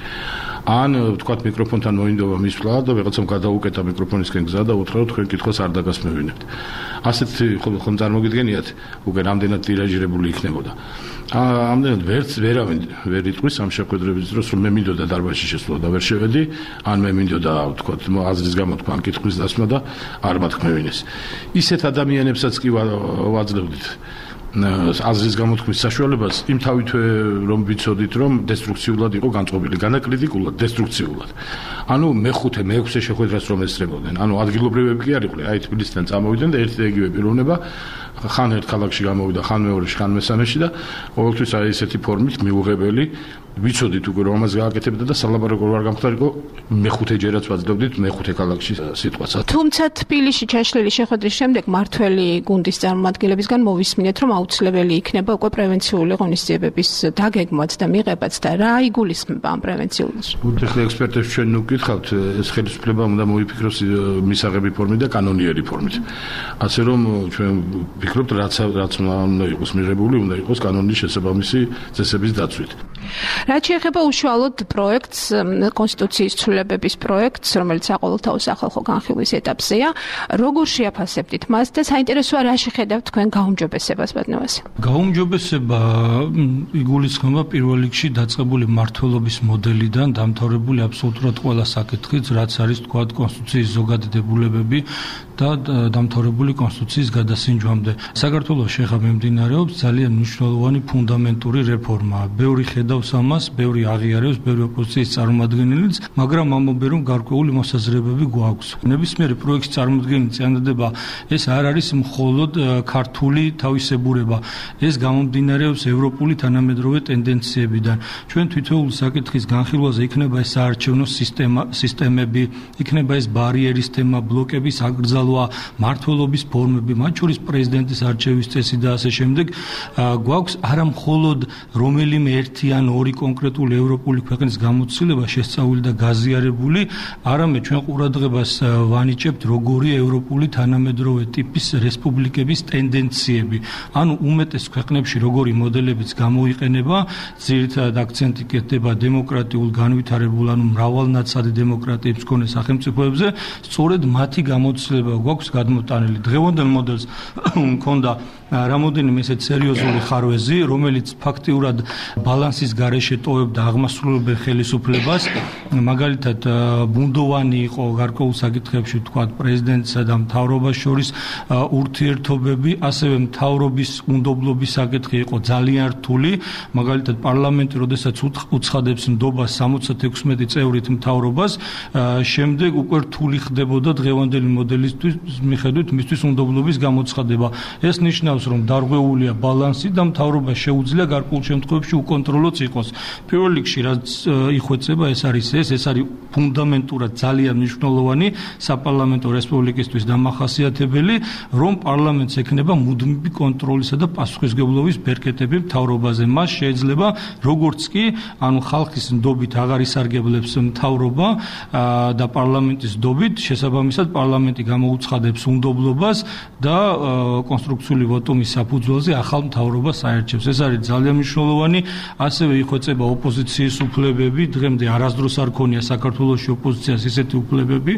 ან თქვათ მიკროფონთან მოინდობა მისვლა და ვიღაცამ გადაუკეტა მიკროფონისკენ გზა და უთხრა, რომ თქვენ კითხვას არ დაგასმევინებთ. ასეთი ხომ წარმოგიდგენიათ, უკვე რამდენად ტირაჟირებული იქნებოდა. ამდენად ვერც ვერავინ ვერ იტყვის ამ შეხვედრების დროს, რომ მე მინდოდა დარბაზში შესვლა და ვერ შევედი, ან მე მინდოდა თქვათ აზრის გამოთქვა ან კითხვის დასმა და არ მათქმევინეს. ისეთ ადამიანებსაც კი ვაძლევდით აზრის გამოთქმის საშუალებას, იმ თავითვე რომ ვიცოდით, რომ დესტრუქციულად იყო განწყობილი, განაკრიტიკულად, დესტრუქციულად. ანუ მეხუთე, მეექვსე შეხვედრას რომ ესწრებოდნენ. ანუ ადგილობრივები კი არ იყვნენ, აი თბილისიდან წამოვიდნენ და ერთი და იგივე პიროვნება ხან ერთ ქალაქში გამოვიდა, ხან მეორეში, ხან მესამეში და ყოველთვის აი ესეთი ფორმით მიუღებელი ვიცოდით უკვე რომ ამას გააკეთებდა და სალაპარაკო არ გამხდარიყო, მეხუთე ჯერაც ვაძლევდით მეხუთე ქალაქში სიტყვას. თუმცა თბილისში ჩაშლილი შეხვედრის შემდეგ მართველი გუნდის წარმომადგენლებისგან მოვისმინეთ, რომ აუცილებელი იქნება უკვე პრევენციული ღონისძიებების დაგეგმვაც და მიღებაც და რა იგულისხმება ამ პრევენციულს. ეხლა ექსპერტებს ჩვენ ნუგითხავთ, ეს ხელისუფლება უნდა მოიფიქროს მისაღები ფორმით და კანონიერი ფორმით. ასე რომ ჩვენ ვფიქრობთ, რაც რაც უნდა იყოს მიღებული, უნდა იყოს კანონის შესაბამისი წესების დაცვით. რაც შეეხება უშუალოდ პროექტს, კონსტიტუციის ცვლილებების პროექტს, რომელიც საყოველთაო სახალხო განხილვის ეტაპზეა, როგორ შეაფასებდით მას და საინტერესოა რა შეხედავთ თქვენ გაუმჯობესებას, ბატონო ვასილ? გაუმჯობესება იგულისხმება პირველ რიგში დაწყებული მმართველობის მოდელიდან, დამთავრებული აბსოლუტურად ყველა საკითხით, რაც არის თქვათ კონსტიტუციის ზოგადი დებულებები და დამთავრებული კონსტიტუციის გადასინჯვამდე. საქართველოში ხა მიმდინარეობს ძალიან მნიშვნელოვანი ფუნდამენტური რეფორმა. ბევრი ხედავ ხედავს ამას, ბევრი აღიარებს, ბევრი ოპოზიციის წარმომადგენელიც, მაგრამ ამბობენ, რომ გარკვეული მოსაზრებები გვაქვს. ნებისმიერი პროექტის წარმოდგენის წინადადება ეს არ არის მხოლოდ ქართული თავისებურება, ეს გამომდინარეობს ევროპული თანამედროვე ტენდენციებიდან. ჩვენ თითოეული საკითხის განხილვაზე იქნება ეს საარჩევნო სისტემა, სისტემები, იქნება ეს ბარიერის თემა, ბლოკების აკრძალვა, მმართველობის ფორმები, მათ შორის პრეზიდენტის არჩევის წესი და ასე შემდეგ. გვაქვს არა მხოლოდ რომელიმე ერთი ან ორი კონკრეტული ევროპული ქვეყნის გამოცდილება შესწავლილი და გაზიარებული, არამედ ჩვენ ყურადღებას ვანიჭებთ როგორი ევროპული თანამედროვე ტიპის რესპუბლიკების ტენდენციები. ანუ უმეტეს ქვეყნებში როგორი მოდელებიც გამოიყენება, ძირითადად აქცენტი კეთდება დემოკრატიულ განვითარებულ, ანუ მრავალნაცადი დემოკრატიებს მქონე სახელმწიფოებზე, სწორედ მათი გამოცდილება გვაქვს გადმოტანილი. დღევანდელ მოდელს მქონდა რამოდენიმე ესეთ სერიოზული ხარვეზი, რომელიც ფაქტიურად ბალანსის გარეშე ტოვებდა აღმასრულებელ ხელისუფლებას, მაგალითად ბუნდოვანი იყო გარკვეულ საკითხებში, თქვათ პრეზიდენტსა და მთავრობას შორის ურთიერთობები, ასევე მთავრობის უნდობლობის საკითხი იყო ძალიან რთული, მაგალითად პარლამენტი როდესაც უცხადებს ნდობას სამოცდაექვსმეტი წევრით მთავრობას, შემდეგ უკვე რთული ხდებოდა დღევანდელი მოდელისთვის მიხედვით მისთვის უნდობლობის გამოცხადება. ეს ნიშნავს, რომ დარღვეულია ბალანსი და მთავრობა შეუძლია გარკვეულ შემთხვევებში უკონტროლოც იყოს. პირველ რიგში რაც იხვეწება, ეს არის ეს, ეს არის ფუნდამენტურად ძალიან მნიშვნელოვანი საპარლამენტო რესპუბლიკისთვის დამახასიათებელი, რომ პარლამენტს ექნება მუდმივი კონტროლისა და პასუხისმგებლობის ბერკეტები მთავრობაზე. მას შეიძლება როგორც კი, ანუ ხალხის ნდობით აღარ ისარგებლებს მთავრობა და პარლამენტის ნდობით, შესაბამისად პარლამენტი გამოუცხადებს უნდობლობას და კონსტრუქციული ვოტუმის საფუძველზე ახალ მთავრობას აერჩევს. ეს არის ძალიან მნიშვნელოვანი, ასევე იხვეწება ოპოზიციის უფლებები, დღემდე არასდროს არ ქონია საქართველოში ოპოზიციას ისეთი უფლებები,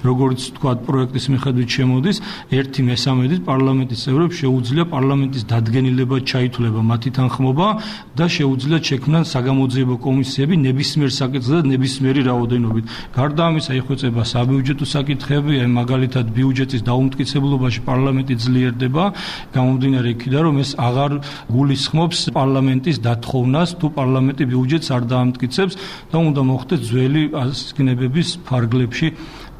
როგორც თქვა პროექტის მიხედვით შემოდის, ერთი მესამედით პარლამენტის წევრებს შეუძლია პარლამენტის დადგენილება ჩაითვლება მათი თანხმობა და შეუძლია შექმნან საგამოძიებო კომისიები ნებისმიერ საკითხზე და ნებისმიერი რაოდენობით. გარდა ამისა იხვეწება საბიუჯეტო საკითხები, მაგალითად ბიუჯეტის დაუმტკიცებლობაში პარლამენტი ძლიერდება, გამომდინარე იქიდან, რომ ეს აღარ გულისხმობს პარლამენტის დათხოვნას, თუ პარლამენტი ბიუჯეტს არ დაამტკიცებს და უნდა მოხდეს ძველი ასკნებების ფარგლებში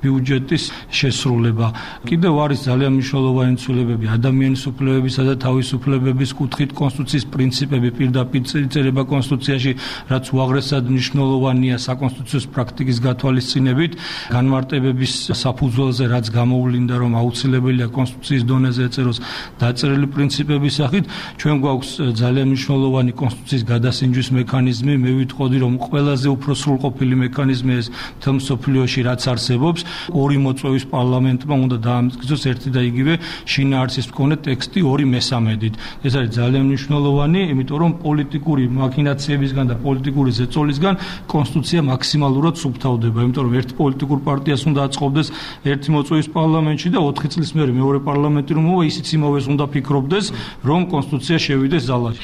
ბიუჯეტის შესრულება. კიდევ არის ძალიან მნიშვნელოვანი ცვლილებები ადამიანის უფლებებისა და თავისუფლებების კუთხით, კონსტიტუციის პრინციპები პირდაპირ წერება კონსტიტუციაში, რაც უაღრესად მნიშვნელოვანია საკონსტიტუციო პრაქტიკის გათვალისწინებით, განმარტებების საფუძველზე, რაც გამოვლინდა, რომ აუცილებელია კონსტიტუციის დონეზე ეწეროს დაწერილი პრინციპების სახით, ჩვენ გვაქვს ძალიან მნიშვნელოვანი კონსტიტუციის გადასინჯვის მექანიზმი, მე ვიტყოდი, რომ ყველაზე უფრო სრულყოფილი მექანიზმი ეს მთელ მსოფლიოში რაც არსებობს. ორი მოწვევის პარლამენტმა უნდა დაამტკიცოს ერთი და იგივე შინაარსის მქონე ტექსტი ორი მესამედით. ეს არის ძალიან მნიშვნელოვანი, იმიტომ რომ პოლიტიკური მაქინაციებისგან და პოლიტიკური ზეწოლისგან კონსტიტუცია მაქსიმალურად სუფთავდება, იმიტომ რომ ერთი პოლიტიკურ პარტიას უნდა აწყობდეს ერთი მოწვევის პარლამენტში და ოთხი წლის მერე მეორე პარლამენტი რომ მოვა, ისიც იმავეს უნდა ფიქრობდეს, რომ კონსტიტუცია შევიდეს ზალაში.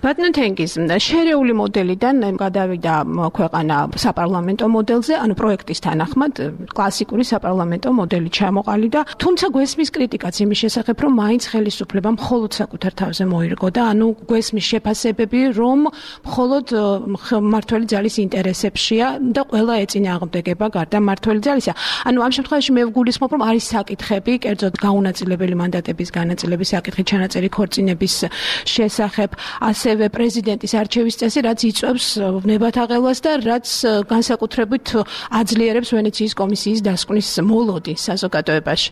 ბატონო თენგიზ, შერეული მოდელიდან გადავიდა ქვეყანა საპარლამენტო მოდელზე, ანუ პროექტის თანახმად კლასიკური საპარლამენტო მოდელი ჩამოყალიდა, თუმცა გვესმის კრიტიკაც იმის შესახებ, რომ მაინც ხელისუფლება მხოლოდ საკუთარ თავზე მოირგო და ანუ გვესმის შეფასებები, რომ მხოლოდ მმართველი ძალის ინტერესებშია და ყველა ეწინააღმდეგება გარდა მმართველი ძალისა. ანუ ამ შემთხვევაში მე ვგულისხმობ, რომ არის საკითხები, კერძოდ გაუნაწილებელი მანდატების განაწილების საკითხი, ჩანაწერი ქორწინების შესახებ, ასევე პრეზიდენტის არჩევის წესი, რაც იწვევს ნებათაღელვას და რაც განსაკუთრებით აძლიერებს ვენეციის კომისიის დასკვნის მოლოდი საზოგადოებაში.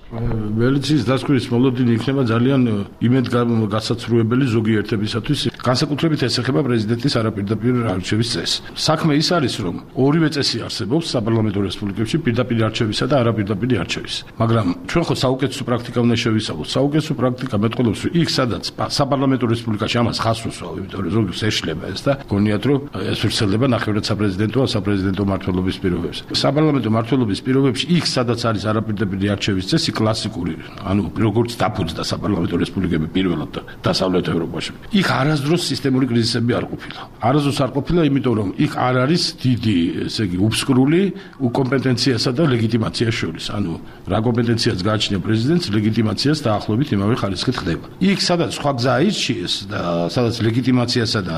ვენეციის დასკვნის მოლოდი იქნება ძალიან იმედგაცრუებელი ზოგიერთებისათვის, განსაკუთრებით ეს ეხება პრეზიდენტის არაპირდაპირ არჩევის წესს. საქმე ის არის, რომ ორივე წესი არსებობს საპარლამენტო რესპუბლიკებში, პირდაპირ არჩევისა და არაპირდაპირ არჩევის. მაგრამ ჩვენ ხო საუკეთესო პრაქტიკა უნდა შევისწავლოთ. საუკეთესო პრაქტიკა მეტყოლობს, რომ იქ სადაც საპარლამენტო რესპუბლიკაში ამას ხას უსვავ, იმიტომ რომ ზოგს ეშლება ეს და გონიათ, რომ ეს ვრცელდება ნახევრად საპრეზიდენტო, საპრეზიდენტო მმართველობის პირობებს. საპარლამენტო მმართველობის პირობებში იქ იქ სადაც არის არაპირდაპირი არჩევის წესი კლასიკური, ანუ როგორც დაფუძნდა საპარლამენტო რესპუბლიკები პირველად დასავლეთ ევროპაში. იქ არასდროს სისტემური კრიზისები არ ყოფილა. არასდროს არ ყოფილა, იმიტომ რომ იქ არ არის დიდი, ესე იგი, უფსკრული უკომპეტენციასა და ლეგიტიმაციას შორის. ანუ რა კომპეტენციას გააჩნია პრეზიდენტს, ლეგიტიმაციას დაახლოებით იმავე ხარისხით ხდება. იქ სადაც სხვა გზა აირჩიეს და სადაც ლეგიტიმაციასა და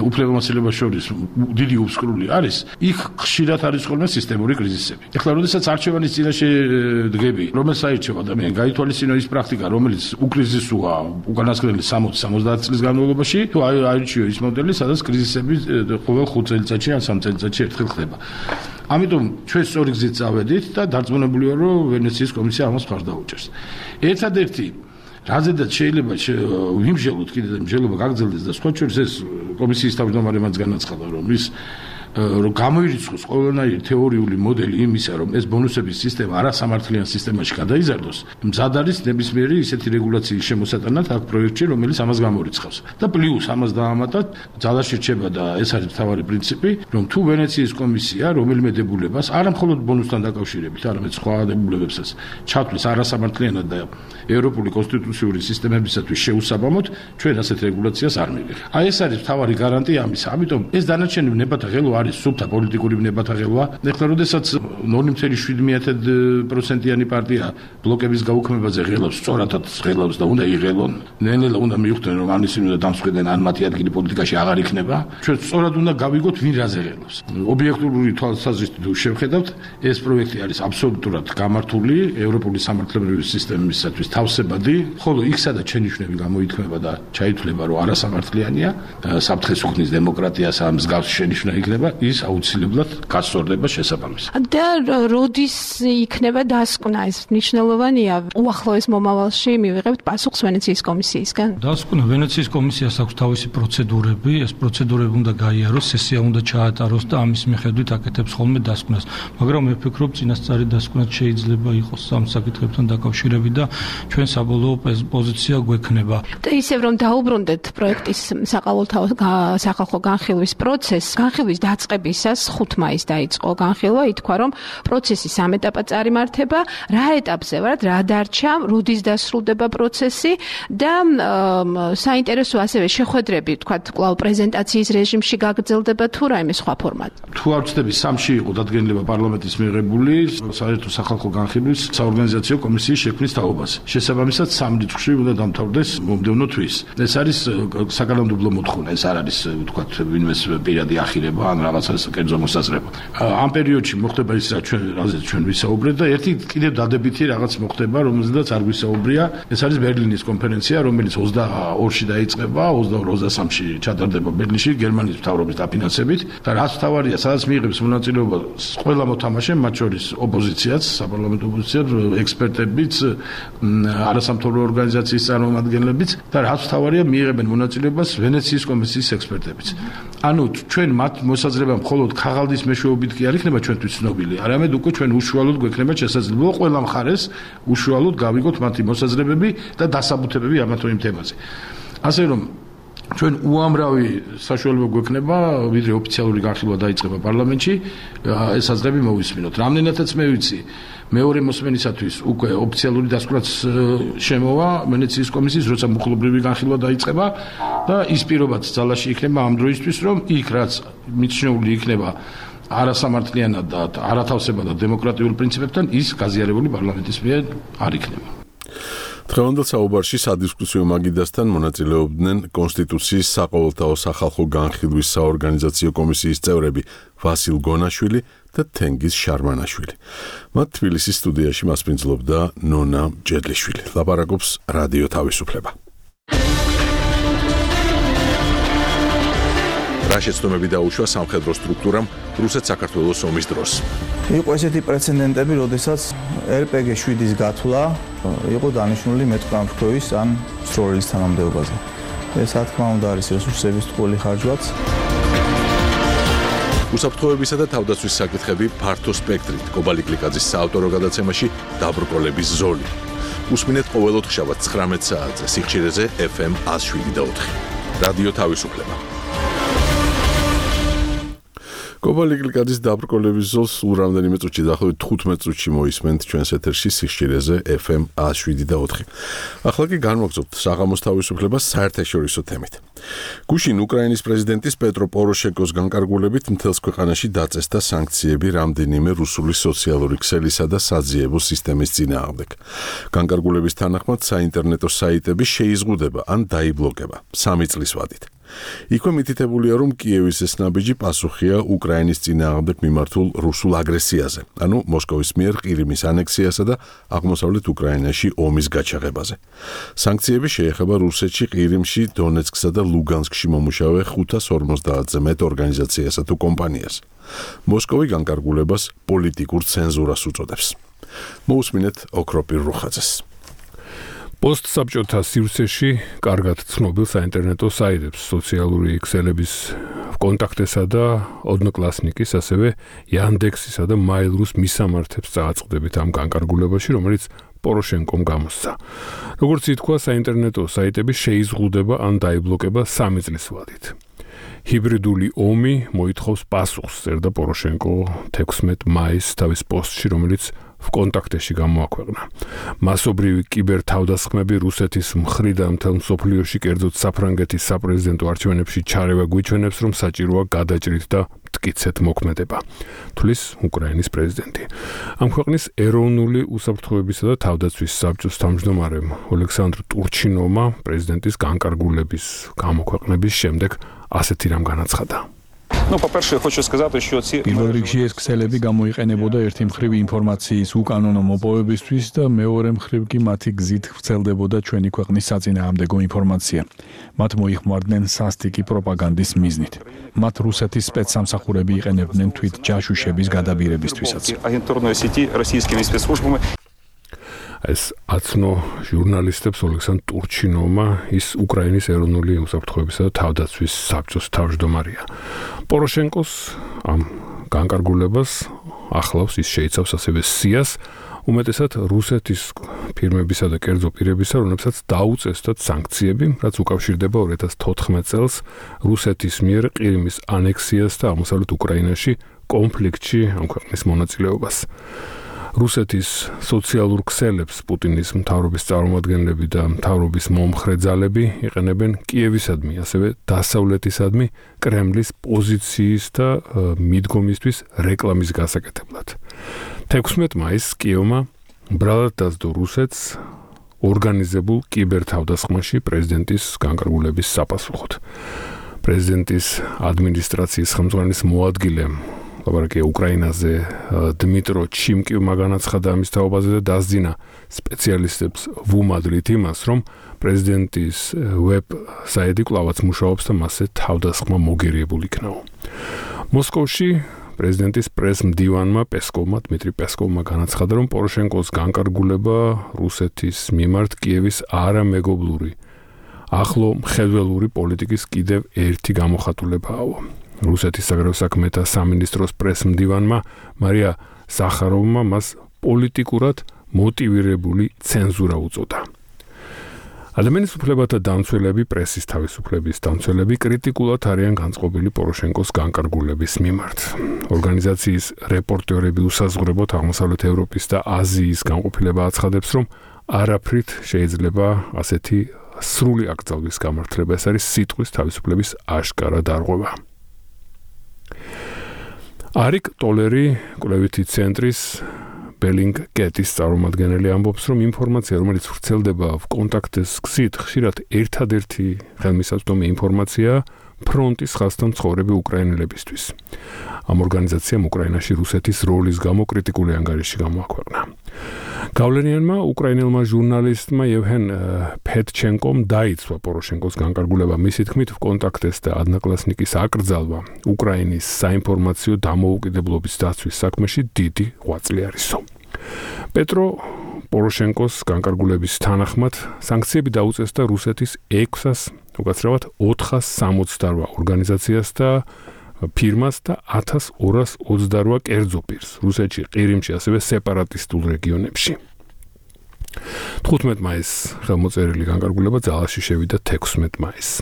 უფლებამოსილებას შორის დიდი უფსკრული არის, იქ ხშირად არის ხოლმე სისტემური კრიზისები. ეხლა როდესაც არჩევანის წინაშე დგები, რომელს აირჩევ ადამიანი, გაითვალისწინო ის პრაქტიკა, რომელიც უკრიზისოა უკანასკნელი სამოცი სამოცდაათი წლის განმავლობაში, თუ აირჩიო ის მოდელი, სადაც კრიზისები ყოველ ხუთ წელიწადში ან სამ წელიწადში ერთხელ ხდება. ამიტომ ჩვენ სწორი გზით წავედით და დარწმუნებული ვარ, რომ ვენეციის კომისია ამას მხარს დაუჭერს. ერთადერთი რაზედაც შეიძლება ვიმსჯელოთ კიდე და მსჯელობა გაგრძელდეს და სხვა შორის ეს კომისიის თავმჯდომარემაც განაცხადა, რომ ის რომ გამოირიცხოს ყველანაირი თეორიული მოდელი იმისა, რომ ეს ბონუსების სისტემა არასამართლიან სისტემაში გადაიზარდოს, მზად არის ნებისმიერი ისეთი რეგულაციის შემოსატანად აქ პროექტში, რომელიც ამას გამორიცხავს. და პლუს ამას დაამატათ, ძალაში რჩება და ეს არის მთავარი პრინციპი, რომ თუ ვენეციის კომისია რომელიმე დებულებას არა მხოლოდ ბონუსთან დაკავშირებით, არამედ სხვა დებულებებსაც ჩათვლის არასამართლიანად და ევროპული კონსტიტუციური სისტემებისათვის შეუსაბამოდ, ჩვენ ასეთ რეგულაციას არ მივიღებთ. აი ეს არის მთავარი გარანტია ამისა. ამიტომ ეს დანარჩენი ნებათა ღელვა არის სუფთა პოლიტიკური ნებათა ღელვა. ეხლა როდესაც ნული ოცდაათი პროცენტიანი პარტია ბლოკების გაუქმებაზე ღელავს, სწორადაც ღელავს და უნდა იღელონ. ნელ-ნელა უნდა მიხვდნენ, რომ ამისინი უნდა დამსხვედენ, ან მათი ადგილი პოლიტიკაში აღარ იქნება. ჩვენ სწორად უნდა გავიგოთ, ვინ რაზე ღელავს. ობიექტური თვალსაზრისით თუ შევხედავთ, ეს პროექტი არის აბსოლუტურად გამართული ევროპული სამართლებრივი სისტემისათვის თავსებადი, ხოლო იქ სადაც შენიშვნები გამოითქმება და ჩაითვლება, რომ არასამართლიანია, საფრთხეს უქმნის დემოკრატიას, ამ მსგავს შენიშვნა იქნება, ის აუცილებლად გასწორდება შესაბამისად. და როდის იქნება დასკვნა, ეს მნიშვნელოვანია, უახლოეს მომავალში მივიღებთ პასუხს ვენეციის კომისიისგან? დასკვნა ვენეციის კომისიას აქვს თავისი პროცედურები, ეს პროცედურები უნდა გაიაროს, სესია უნდა ჩაატაროს და ამის მიხედვით აკეთებს ხოლმე დასკვნას. მაგრამ მე ვფიქრობ, წინასწარი დასკვნაც შეიძლება იყოს ამ საკითხებთან დაკავშირებით და ჩვენ საბოლოო პოზიცია გვექნება. და ისევ რომ დაუბრუნდეთ პროექტის საყოველთაო სახალხო განხილვის პროცესს, განხილვის დაწყებისას ხუთ მაისს დაიწყო განხილვა, ითქვა რომ პროცესი სამ ეტაპად წარიმართება, რა ეტაპზე ვართ, რა დარჩა, როდის დასრულდება პროცესი და საინტერესო ასევე შეხვედრები, თქვა კვლავ პრეზენტაციის რეჟიმში გაგრძელდება თუ რაიმე სხვა ფორმატი. თუ არ ვცდები, სამში იყო დადგენილება პარლამენტის მიღებული საერთო სახალხო განხილვის საორგანიზაციო კომისიის შექმნის თაობაზე. შესაბამისად სამ რიცხვში უნდა დამთავრდეს მომდევნო თვის. ეს არის საკანონმდებლო მოთხოვნა, ეს არ არის თქვა ვინმეს პირადი ახირება ან რაღაცას კერძო მოსაზრება. ამ პერიოდში მოხდება ის რაც ჩვენ რაზეც ჩვენ ვისაუბრეთ და ერთი კიდევ დადებითი რაღაც მოხდება, რომელზედაც არ ვისაუბრია, ეს არის ბერლინის კონფერენცია, რომელიც ოცდაორში დაიწყება, ოცდაორ ოცდასამში ჩატარდება ბერლინში გერმანიის მთავრობის დაფინანსებით და რაც მთავარია, სადაც მიიღებს მონაწილეობა ყველა მოთამაშე, მათ შორის ოპოზიციაც, საპარლამენტო ოპოზიციაც, ექსპერტებიც, არასამთავრობო ორგანიზაციის წარმომადგენლებიც და რაც მთავარია, მიიღებენ მონაწილეობას ვენეციის კომისიის ექსპერტებიც. ანუ ჩვენ მათ მოსაზრება მხოლოდ ქაღალდის მეშვეობით კი არ იქნება ჩვენთვის ცნობილი, არამედ უკვე ჩვენ უშუალოდ გვექნება შესაძლებლობა ყველა მხარეს უშუალოდ გავიგოთ მათი მოსაზრებები და დასაბუთებები ამ თუ იმ თემაზე. ასე რომ ჩვენ უამრავი საშუალება გვექნება, ვიდრე ოფიციალური განხილვა დაიწყება პარლამენტში, ეს აზრები მოვისმინოთ. რამდენადაც მე ვიცი, მეორე მოსმენისათვის უკვე ოფიციალური დასკვნაც შემოვა ვენეციის კომისიის, როცა მუხლობრივი განხილვა დაიწყება და ის პირობაც ძალაში იქნება ამ დროისთვის, რომ იქ რაც მიჩნეული იქნება არასამართლიანად და არათავსებად და დემოკრატიულ პრინციპებთან, ის გაზიარებული პარლამენტის მიერ არ იქნება. დღევანდელ საუბარში სადისკუსიო მაგიდასთან მონაწილეობდნენ კონსტიტუციის საყოველთაო სახალხო განხილვის საორგანიზაციო კომისიის წევრები ვასილ გონაშვილი და თენგიზ შარმანაშვილი. მათ თბილისის სტუდიაში მასპინძლობდა ნონა ჯედლიშვილი. ლაპარაკობს რადიო თავისუფლება. რა შეცდომები დაუშვა სამხედრო სტრუქტურამ რუსეთ-საქართველოს ომის დროს. იყო ესეთი პრეცედენტები, როდესაც ერ პე გი შვიდის გათვლა იყო დანიშნული მეტყამფრქვევის ან სროლის თანამდებობაზე. ეს რა თქმა უნდა არის რესურსების ტყუილი ხარჯვაც. უსაფრთხოებისა და თავდაცვის საკითხები ფართო სპექტრით კობალი კლიკაძის საავტორო გადაცემაში დაბრკოლების ზოლი. უსმინეთ ყოველ ოთხშაბათს ცხრამეტ საათზე სიხშირეზე ეფ ემ ათს შვიდი და ოთხი. რადიო თავისუფლება. გობალი კლიკადის დაბრკოლების ზოლს სულ რამდენიმე წუთში, დაახლოებით თხუთმეტ წუთში მოისმენთ ჩვენს ეთერში სიხშირეზე ეფ ემ ას შვიდი და ოთხი. ახლა კი განვაგრძობთ საღამოს თავისუფლებას საერთაშორისო თემით. გუშინ უკრაინის პრეზიდენტის პეტრო პოროშენკოს განკარგულებით მთელს ქვეყანაში დაწესდა სანქციები რამდენიმე რუსული სოციალური ქსელისა და საძიებო სისტემის წინააღმდეგ. განკარგულების თანახმად საინტერნეტო საიტები შეიზღუდება ან დაიბლოკება სამი წლის ვადით. იქვე მითითებულია, რომ კიევის ეს ნაბიჯი პასუხია უკრაინის წინააღმდეგ მიმართულ რუსულ აგრესიაზე, ანუ მოსკოვის მიერ ყირიმის ანექსიასა და აღმოსავლეთ უკრაინაში ომის გაჩაღებაზე. სანქციები შეეხება რუსეთში, ყირიმში, დონეცკსა და ლუგანსკში მომუშავე ხუთას ორმოცდაათზე მეტ ორგანიზაციასა თუ კომპანიას. მოსკოვი განკარგულებას პოლიტიკურ ცენზურას უწოდებს. მოусმინეთ ოქროპირ რუხაძეს. პოსტსაბჭოთა სივრცეში კარგად ცნობილ საინტერნეტო საიტებს, სოციალური ქსელების კონტაქტესა და ოდნოკლასნიკის, ასევე Yandex-ისა და Mail.ru-ს მისამართებს წააწყდებით ამ განკარგულებაში, რომელიც პოროშენკომ გამოსცა. როგორც ითქვა, საინტერნეტო საიტები შეიზღუდება ან დაიბლოკება სამი წლის ვადით. ჰიბრიდული ომი მოითხოვს პასუხს, წერდა პოროშენკო თექვსმეტ მაისს თავის პოსტში, რომელიც ვკონტაქტეში გამოაქვეყნა. მასობრივი კიბერთავდასხმები რუსეთის მხრიდან მთელ მსოფლიოში, კერძოდ საფრანგეთის საპრეზიდენტო არჩევნებში ჩარევა გვიჩვენებს, რომ საჭიროა გადაჭრით და მტკიცეთ მოქმედება, თვლის უკრაინის პრეზიდენტი. ამ ქვეყნის ეროვნული უსაფრთხოებისა და თავდაცვის საბჭოს თავმჯდომარემ ოლექსანდრ ტურჩინოვმა პრეზიდენტის განკარგულების გამოქვეყნების შემდეგ ასეთი რამ განაცხადა. Ну, по-перше, хочу сказати, що ці პირველ რიგში ეს ქსელები გამოიყენებოდა ერთი მხრივ ინფორმაციის უკანონო მოპოვებისთვის და მეორე მხრივ კი მათი გზით ვრცელდებოდა ჩვენი ქვეყნის საწინააღმდეგო ინფორმაცია. მათ მოიხმარდნენ სასტიკი პროპაგანდის მიზნით. მათ რუსეთის სპეცსამსახურები იყენებდნენ თვით ჯაშუშების გადაბირებისთვისაც. агентурної сети російськими спецслужбами. ეს აცნო ჟურნალისტებს ოლექსანდრ ტურჩინოვმა, ის უკრაინის ეროვნული უსაფრთხოებისა და თავდაცვის საბჭოს თავმჯდომარეა. პოროშენკოს ამ განკარგულებას ახლავს, ის შეიცავს ასევე სიას, უმეტესად რუსეთის ფირმებისა და კერძო პირებისა, რომლებსაც დაუწესდათ სანქციები, რაც უკავშირდება ორი ათას თოთხმეტ წელს რუსეთის მიერ ყირიმის ანექსიას და აღმოსავლეთ უკრაინაში კონფლიქტში ამ ქვეყნის მონაწილეობას. რუსეთის სოციალურ ქსელებს პუტინის მთავრობის წარმომადგენლები და მთავრობის მომხრე ძალები იყენებენ კიევისადმი, ასევე დასავლეთისადმი კრემლის პოზიციის და მიდგომისთვის რეკლამის გასაკეთებლად. თექვსმეტ მაისს კიევმა ბრალად დასდო რუსეთს ორგანიზებულ კიბერთავდასხმაში პრეზიდენტის განკარგულების საპასუხოდ. პრეზიდენტის ადმინისტრაციის ხელმძღვანელის მოადგილემ ლაბარაკია უკრაინაზე დმიტრო ჩიმკივმა განაცხადა ამის თაობაზე და დასძინა სპეციალისტებს ვუმადლით იმას, რომ პრეზიდენტის ვებ საიტი კვლავაც მუშაობს და მასზე თავდასხმა მოგერიებული იქნაო. მოსკოვში პრეზიდენტის პრეს-მდივანმა პესკოვმა, დმიტრი პესკოვმა განაცხადა, რომ პოროშენკოს განკარგულება რუსეთის მიმართ კიევის არამეგობრული, ახლო მხედველური პოლიტიკის კიდევ ერთი გამოხატულებაა. რუსეთის საგარეო საქმეთა სამინისტროს პრეს-მდივანმა მარია ზახაროვმა მას პოლიტიკურად მოტივირებული ცენზურა უწოდა. ადამიანის უფლებათა დამცველები, პრესის თავისუფლების დამცველები კრიტიკულად არიან განწყობილი პოროშენკოს განკარგულების მიმართ. ორგანიზაციის რეპორტერები უსაზღვრებოდ აღმოსავლეთ ევროპის და აზიის განყოფილება აცხადებს, რომ არაფრით შეიძლება ასეთი სრული აკრძალვის გამართლება. ეს არის სიტყვის თავისუფლების აშკარა დარღვევა. არიკ ტოლერი კვლევითი ცენტრის ბელინგ-გეტის წარმომადგენელი ამბობს, რომ ინფორმაცია, რომელიც ვრცელდება ვკონტაქტეს გზით, ხშირად ერთადერთი ხელმისაწვდომი ინფორმაცია ფრონტის ხაზთან მცხოვრები უკრაინელებისთვის. ამ ორგანიზაციამ უკრაინაში რუსეთის როლის გამო კრიტიკული ანგარიში გამოაქვეყნა. გავლენიანმა უკრაინელმა ჟურნალისტმა ევჰენ ფედჩენკომ დაიცვა პოროშენკოს განკარგულება. მისი თქმით, ვკონტაქტეს და ადნაკლასნიკის აკრძალვა უკრაინის საინფორმაციო დამოუკიდებლობის დაცვის საქმეში დიდი ღვაწლი არისო. პეტრო პოროშენკოს განკარგულების თანახმად სანქციები დაუწესდა რუსეთის ექვსას, უკაცრავად ოთხას სამოცდარვა ორგანიზაციას და ფირმას და ათას ორას ოცდარვა კერძო პირს რუსეთში, ყირიმში, ასევე სეპარატისტულ რეგიონებში. თხუთმეტ მაისს ხელმოწერილი განკარგულება ძალაში შევიდა თექვსმეტ მაისს.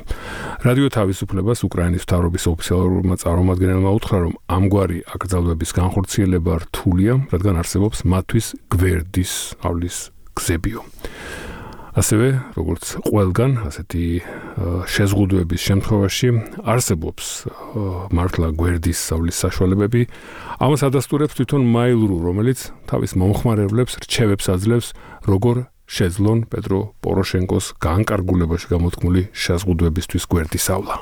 რადიო თავისუფლებას უკრაინის მთავრობის ოფიციალურმა წარმომადგენელმა უთხრა, რომ ამგვარი აკრძალვების განხორციელება რთულია, რადგან არსებობს მათთვის გვერდის ავლის გზებიო. ასევე, როგორც ყველგან, ასეთი შეზღუდვების შემთხვევაში არსებობს მართლა გვერდის ავლის საშუალებები. ამას ადასტურებს თვითონ მაილრუ, რომელიც თავის მომხმარებლებს რჩევებს აძლევს, როგორ შეძლონ პეტრო პოროშენკოს განკარგულებაში გამოთქმული შეზღუდვებისთვის გვერდის ავლა.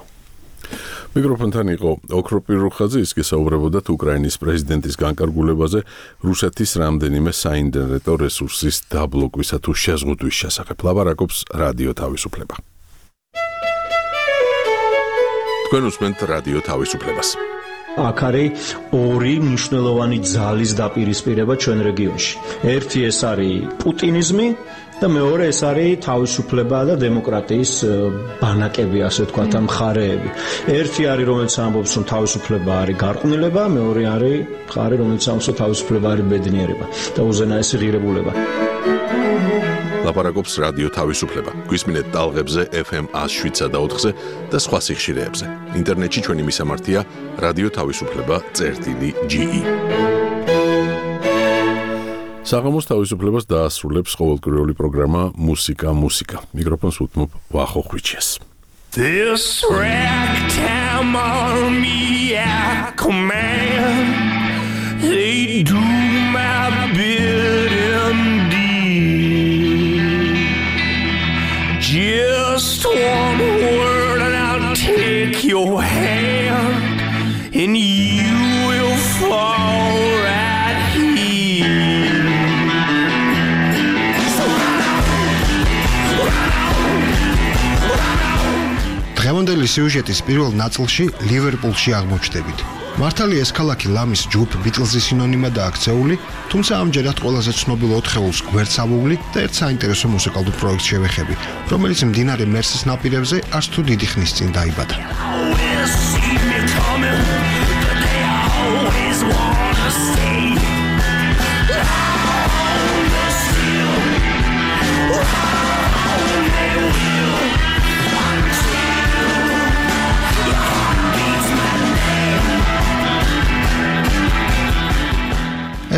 მიკროფონთან იყო ოქრო პირუხაძე, ის გესაუბრებოდათ უკრაინის პრეზიდენტის განკარგულებაზე რუსეთის რამდენიმე საინტერნეტო რესურსის დაბლოკვისა თუ შეზღუდვის შესახებ. ლაპარაკობს რადიო თავისუფლება. თქვენ უსმენთ რადიო თავისუფლებას. აქ არის ორი მნიშვნელოვანი ძალის დაპირისპირება ჩვენ რეგიონში. ერთი ეს არის პუტინიზმი და მეორე ეს არის თავისუფლება და დემოკრატიის ბანაკები, ასე ვთქვათ, მხარეები. ერთი არის, რომელიც ამბობს, რომ თავისუფლება არის გარყვნილება, მეორე არის მხარე, რომელიც ამბობს, რომ თავისუფლება არის ბედნიერება და უზენაესი ღირებულება. ლაპარაკობს რადიო თავისუფლება. გვისმინეთ ტალღებზე ეფ ემ ას შვიდსა და ოთხზე და სხვა სიხშირეებზე. ინტერნეტში ჩვენი მისამართია რადიო თავისუფლება წერტილი ჯი ი. საღამოს თავისუფლებას დაასრულებს ყოველკვირეული პროგრამა მუსიკა მუსიკა. მიკროფონს უთმობ ვახო ხვიჩეს. This ragtime army I command, they do my bidding deed. Just one word and I'll take your hand and you will fall right here. დღევანდელი სიუჟეტის პირველ ნაწილში ლივერპულში აღმოჩნდებით. მართალი ეს ქალაქი ლამის ჯგუფ ბიტლზის სინონიმადაა აქცეული, თუმცა ამჯერად ყველაზე ცნობილ ოთხეულს გვერდსავული და ერთ საინტერესო მუსიკალურ პროექტს შევეხები, რომელიც მდინარე მერსის ნაპირებზე არც თუ დიდი ხნის წინ დაიბადა.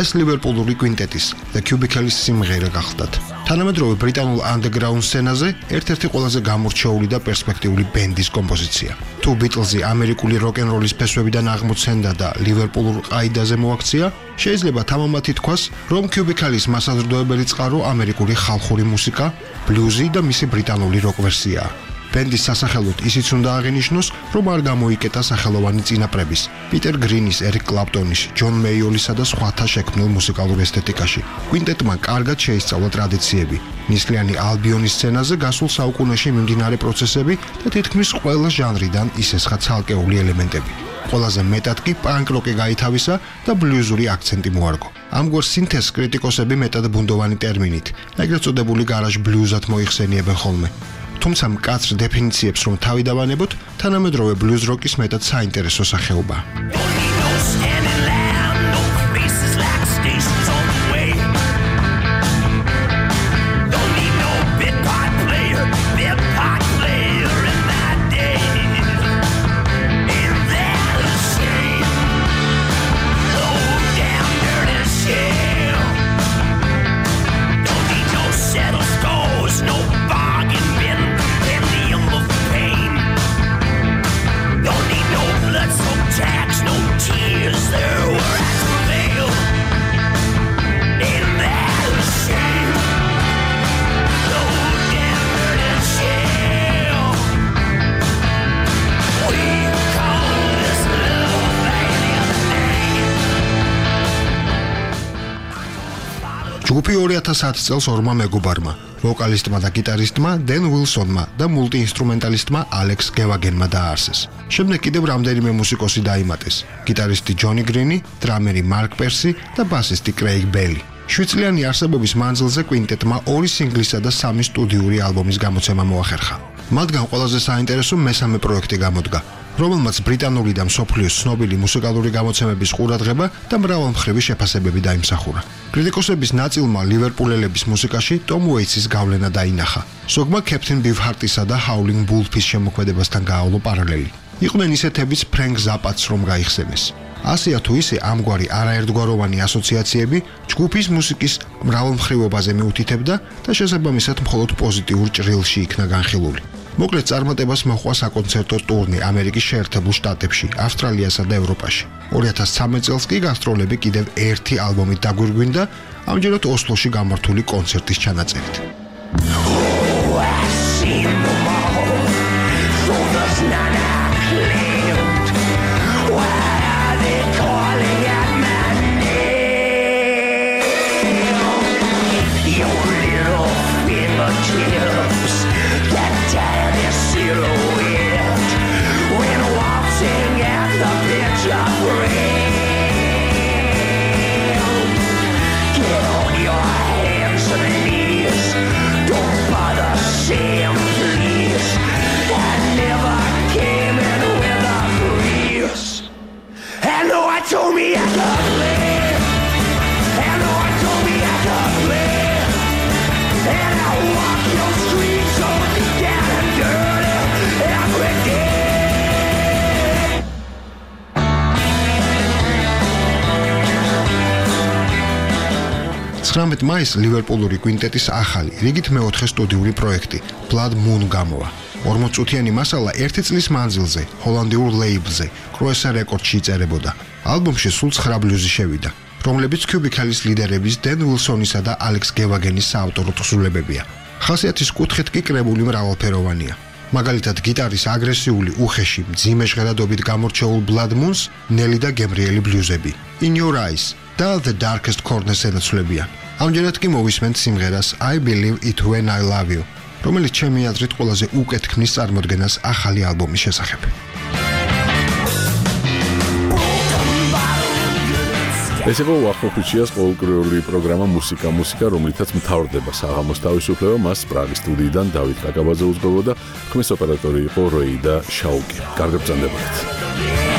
ეს ლივერპულური კვინტეტის The Cubicles სიმღერა გახლდათ. თანამედროვე ბრიტანულ underground სცენაზე ერთ-ერთი ყველაზე გამორჩეული და პერსპექტიული ბენდის კომპოზიცია. თუ ბიტლზი ამერიკული როკ-ენ-როლის ფესვებიდან აღმოცენდა და ლივერპულურ ყაიდაზე მოაქცია, შეიძლება თამამად ითქვას, რომ Cubicles მასაზრდოებელი წყარო ამერიკული ხალხური მუსიკა, ბლუზი და მისი ბრიტანული როკ ვერსიაა. ბენდის სასახელოდ ისიც უნდა აღინიშნოს, რომ არ გამოიკეტა სახელოვანი წინაპრების, პიტერ გრინის, ერიკ კლაპტონის, ჯონ მეიოლისა და სხვათა შექმნილ მუსიკალურ ესთეტიკაში. კვინტეტმა კარგად შეისწავლა ტრადიციები, ნისლიანი ალბიონის სცენაზე გასულ საუკუნეში მიმდინარე პროცესები და თითქმის ყველა ჟანრიდან ისესხა ცალკეული ელემენტები. ყველაზე მეტად კი პანკ როკი გაითავისა და ბლუზური აქცენტი მოარგო. ამგვარ სინთეზს კრიტიკოსები მეტად ბუნდოვანი ტერმინით, ეგრეთ წოდებული გარაჟ ბლუზად მოიხსენიებენ ხოლმე. თუმცა მკაცრ დეფინიციებს რომ თავი დავანებოთ, თანამედროვე ბლუზ როკის მეტად საინტერესო სახეობა. ჯგუფი ორი ათას ათი წელს ორმა მეგობარმა, ვოკალისტმა და გიტარისტმა დენ უილსონმა და მულტიინსტრუმენტალისტმა ალექს გევაგენმა დააარსეს. შემდეგ კიდევ რამდენიმე მუსიკოსი დაიმატეს: გიტარისტი ჯონი გრინი, დრამერი მარკ პერსი და ბასისტი კრეიგ ბელი. შვიდწლიანი არსებობის მანძილზე კვინტეტმა ორი სინგლისა და სამი სტუდიური ალბომის გამოცემა მოახერხა. მათგან ყველაზე საინტერესო მესამე პროექტი გამოდგა. რომელმაც ბრიტანული და მსოფლიოს ცნობილი მუსიკალური გამოცემების ყურადღება და მრავალმხრივი შეფასებები დაიმსახურა. კრიტიკოსების ნაწილმა ლივერპულელების მუსიკაში ტომ უეიტსის გავლენა დაინახა. ზოგმა Captain Beefheart'ისა და Howling Wolf-ის შემოქმედებასთან გაავლო პარალელი. იყვნენ ისეთებიც ფრენკ ზაპაც რომ გაიხსენეს. ასეა თუ ისე ამგვარი არაერთგვაროვანი ასოციაციები ჯგუფის მუსიკის მრავალმხრივობაზე მიუთითებდა და შესაბამისად მხოლოდ პოზიტიურ ჭრილში იქნა განხილული. მოკლედ წარმატებას მოჰყვა საკონცერტო ტურნე ამერიკის შეერთებულ შტატებში, ავსტრალიასა და ევროპაში. ორი ათას ცხრამეტ წელს კი გასტროლები კიდევ ერთი ალბომით დაგვირგვინდა, ამჯერად ოსლოში გამართული კონცერტის ჩანაწერით. Told me I could live, and no one told me I could live, and I walk your streets so down and dirty every day. ცხრამეტ მაისს ლივერპულური კვინტეტის ახალი, რიგით მეოთხე სტუდიური პროექტი Blood Moon გამოვა. ორმოც წუთიანი მასალა ერთი წლის მანძილზე ჰოლანდიურ ლეიბლზე კროესა რეკორდში იწერებოდა. ალბომში სულ ცხრა ბლუზი შევიდა, რომლებიც Cubicle-ის ლიდერების დენ უილსონისა და ალექს გევაგენის საავტორო თხზულებებია. ხასიათის კუთხით კი კრებული მრავალფეროვანია. მაგალითად, გიტარის აგრესიული, უხეში, მძიმე ჟღერადობით გამორჩეულ Blood Moon-ს ნელი და გემრიელი ბლუზები, In Your Eyes და The Darkest Corners ენაცვლებიან. ამჯერად კი მოვისმენთ სიმღერას I Believe It When I Love You, რომელიც ჩემი აზრით ყველაზე უკეთ ქმნის წარმოდგენას ახალი ალბომის შესახებ. ეს იყო ვახტოხუჩიას ყოველკვირეული პროგრამა მუსიკა მუსიკა, რომლითაც მთავრდება საღამოს თავისუფლება, მას პრაღის სტუდიიდან დავით კაკაბაძე უძღვებოდა, ხმის ოპერატორი იყო როი და შაუკი. კარგად ბრძანდებოდეთ.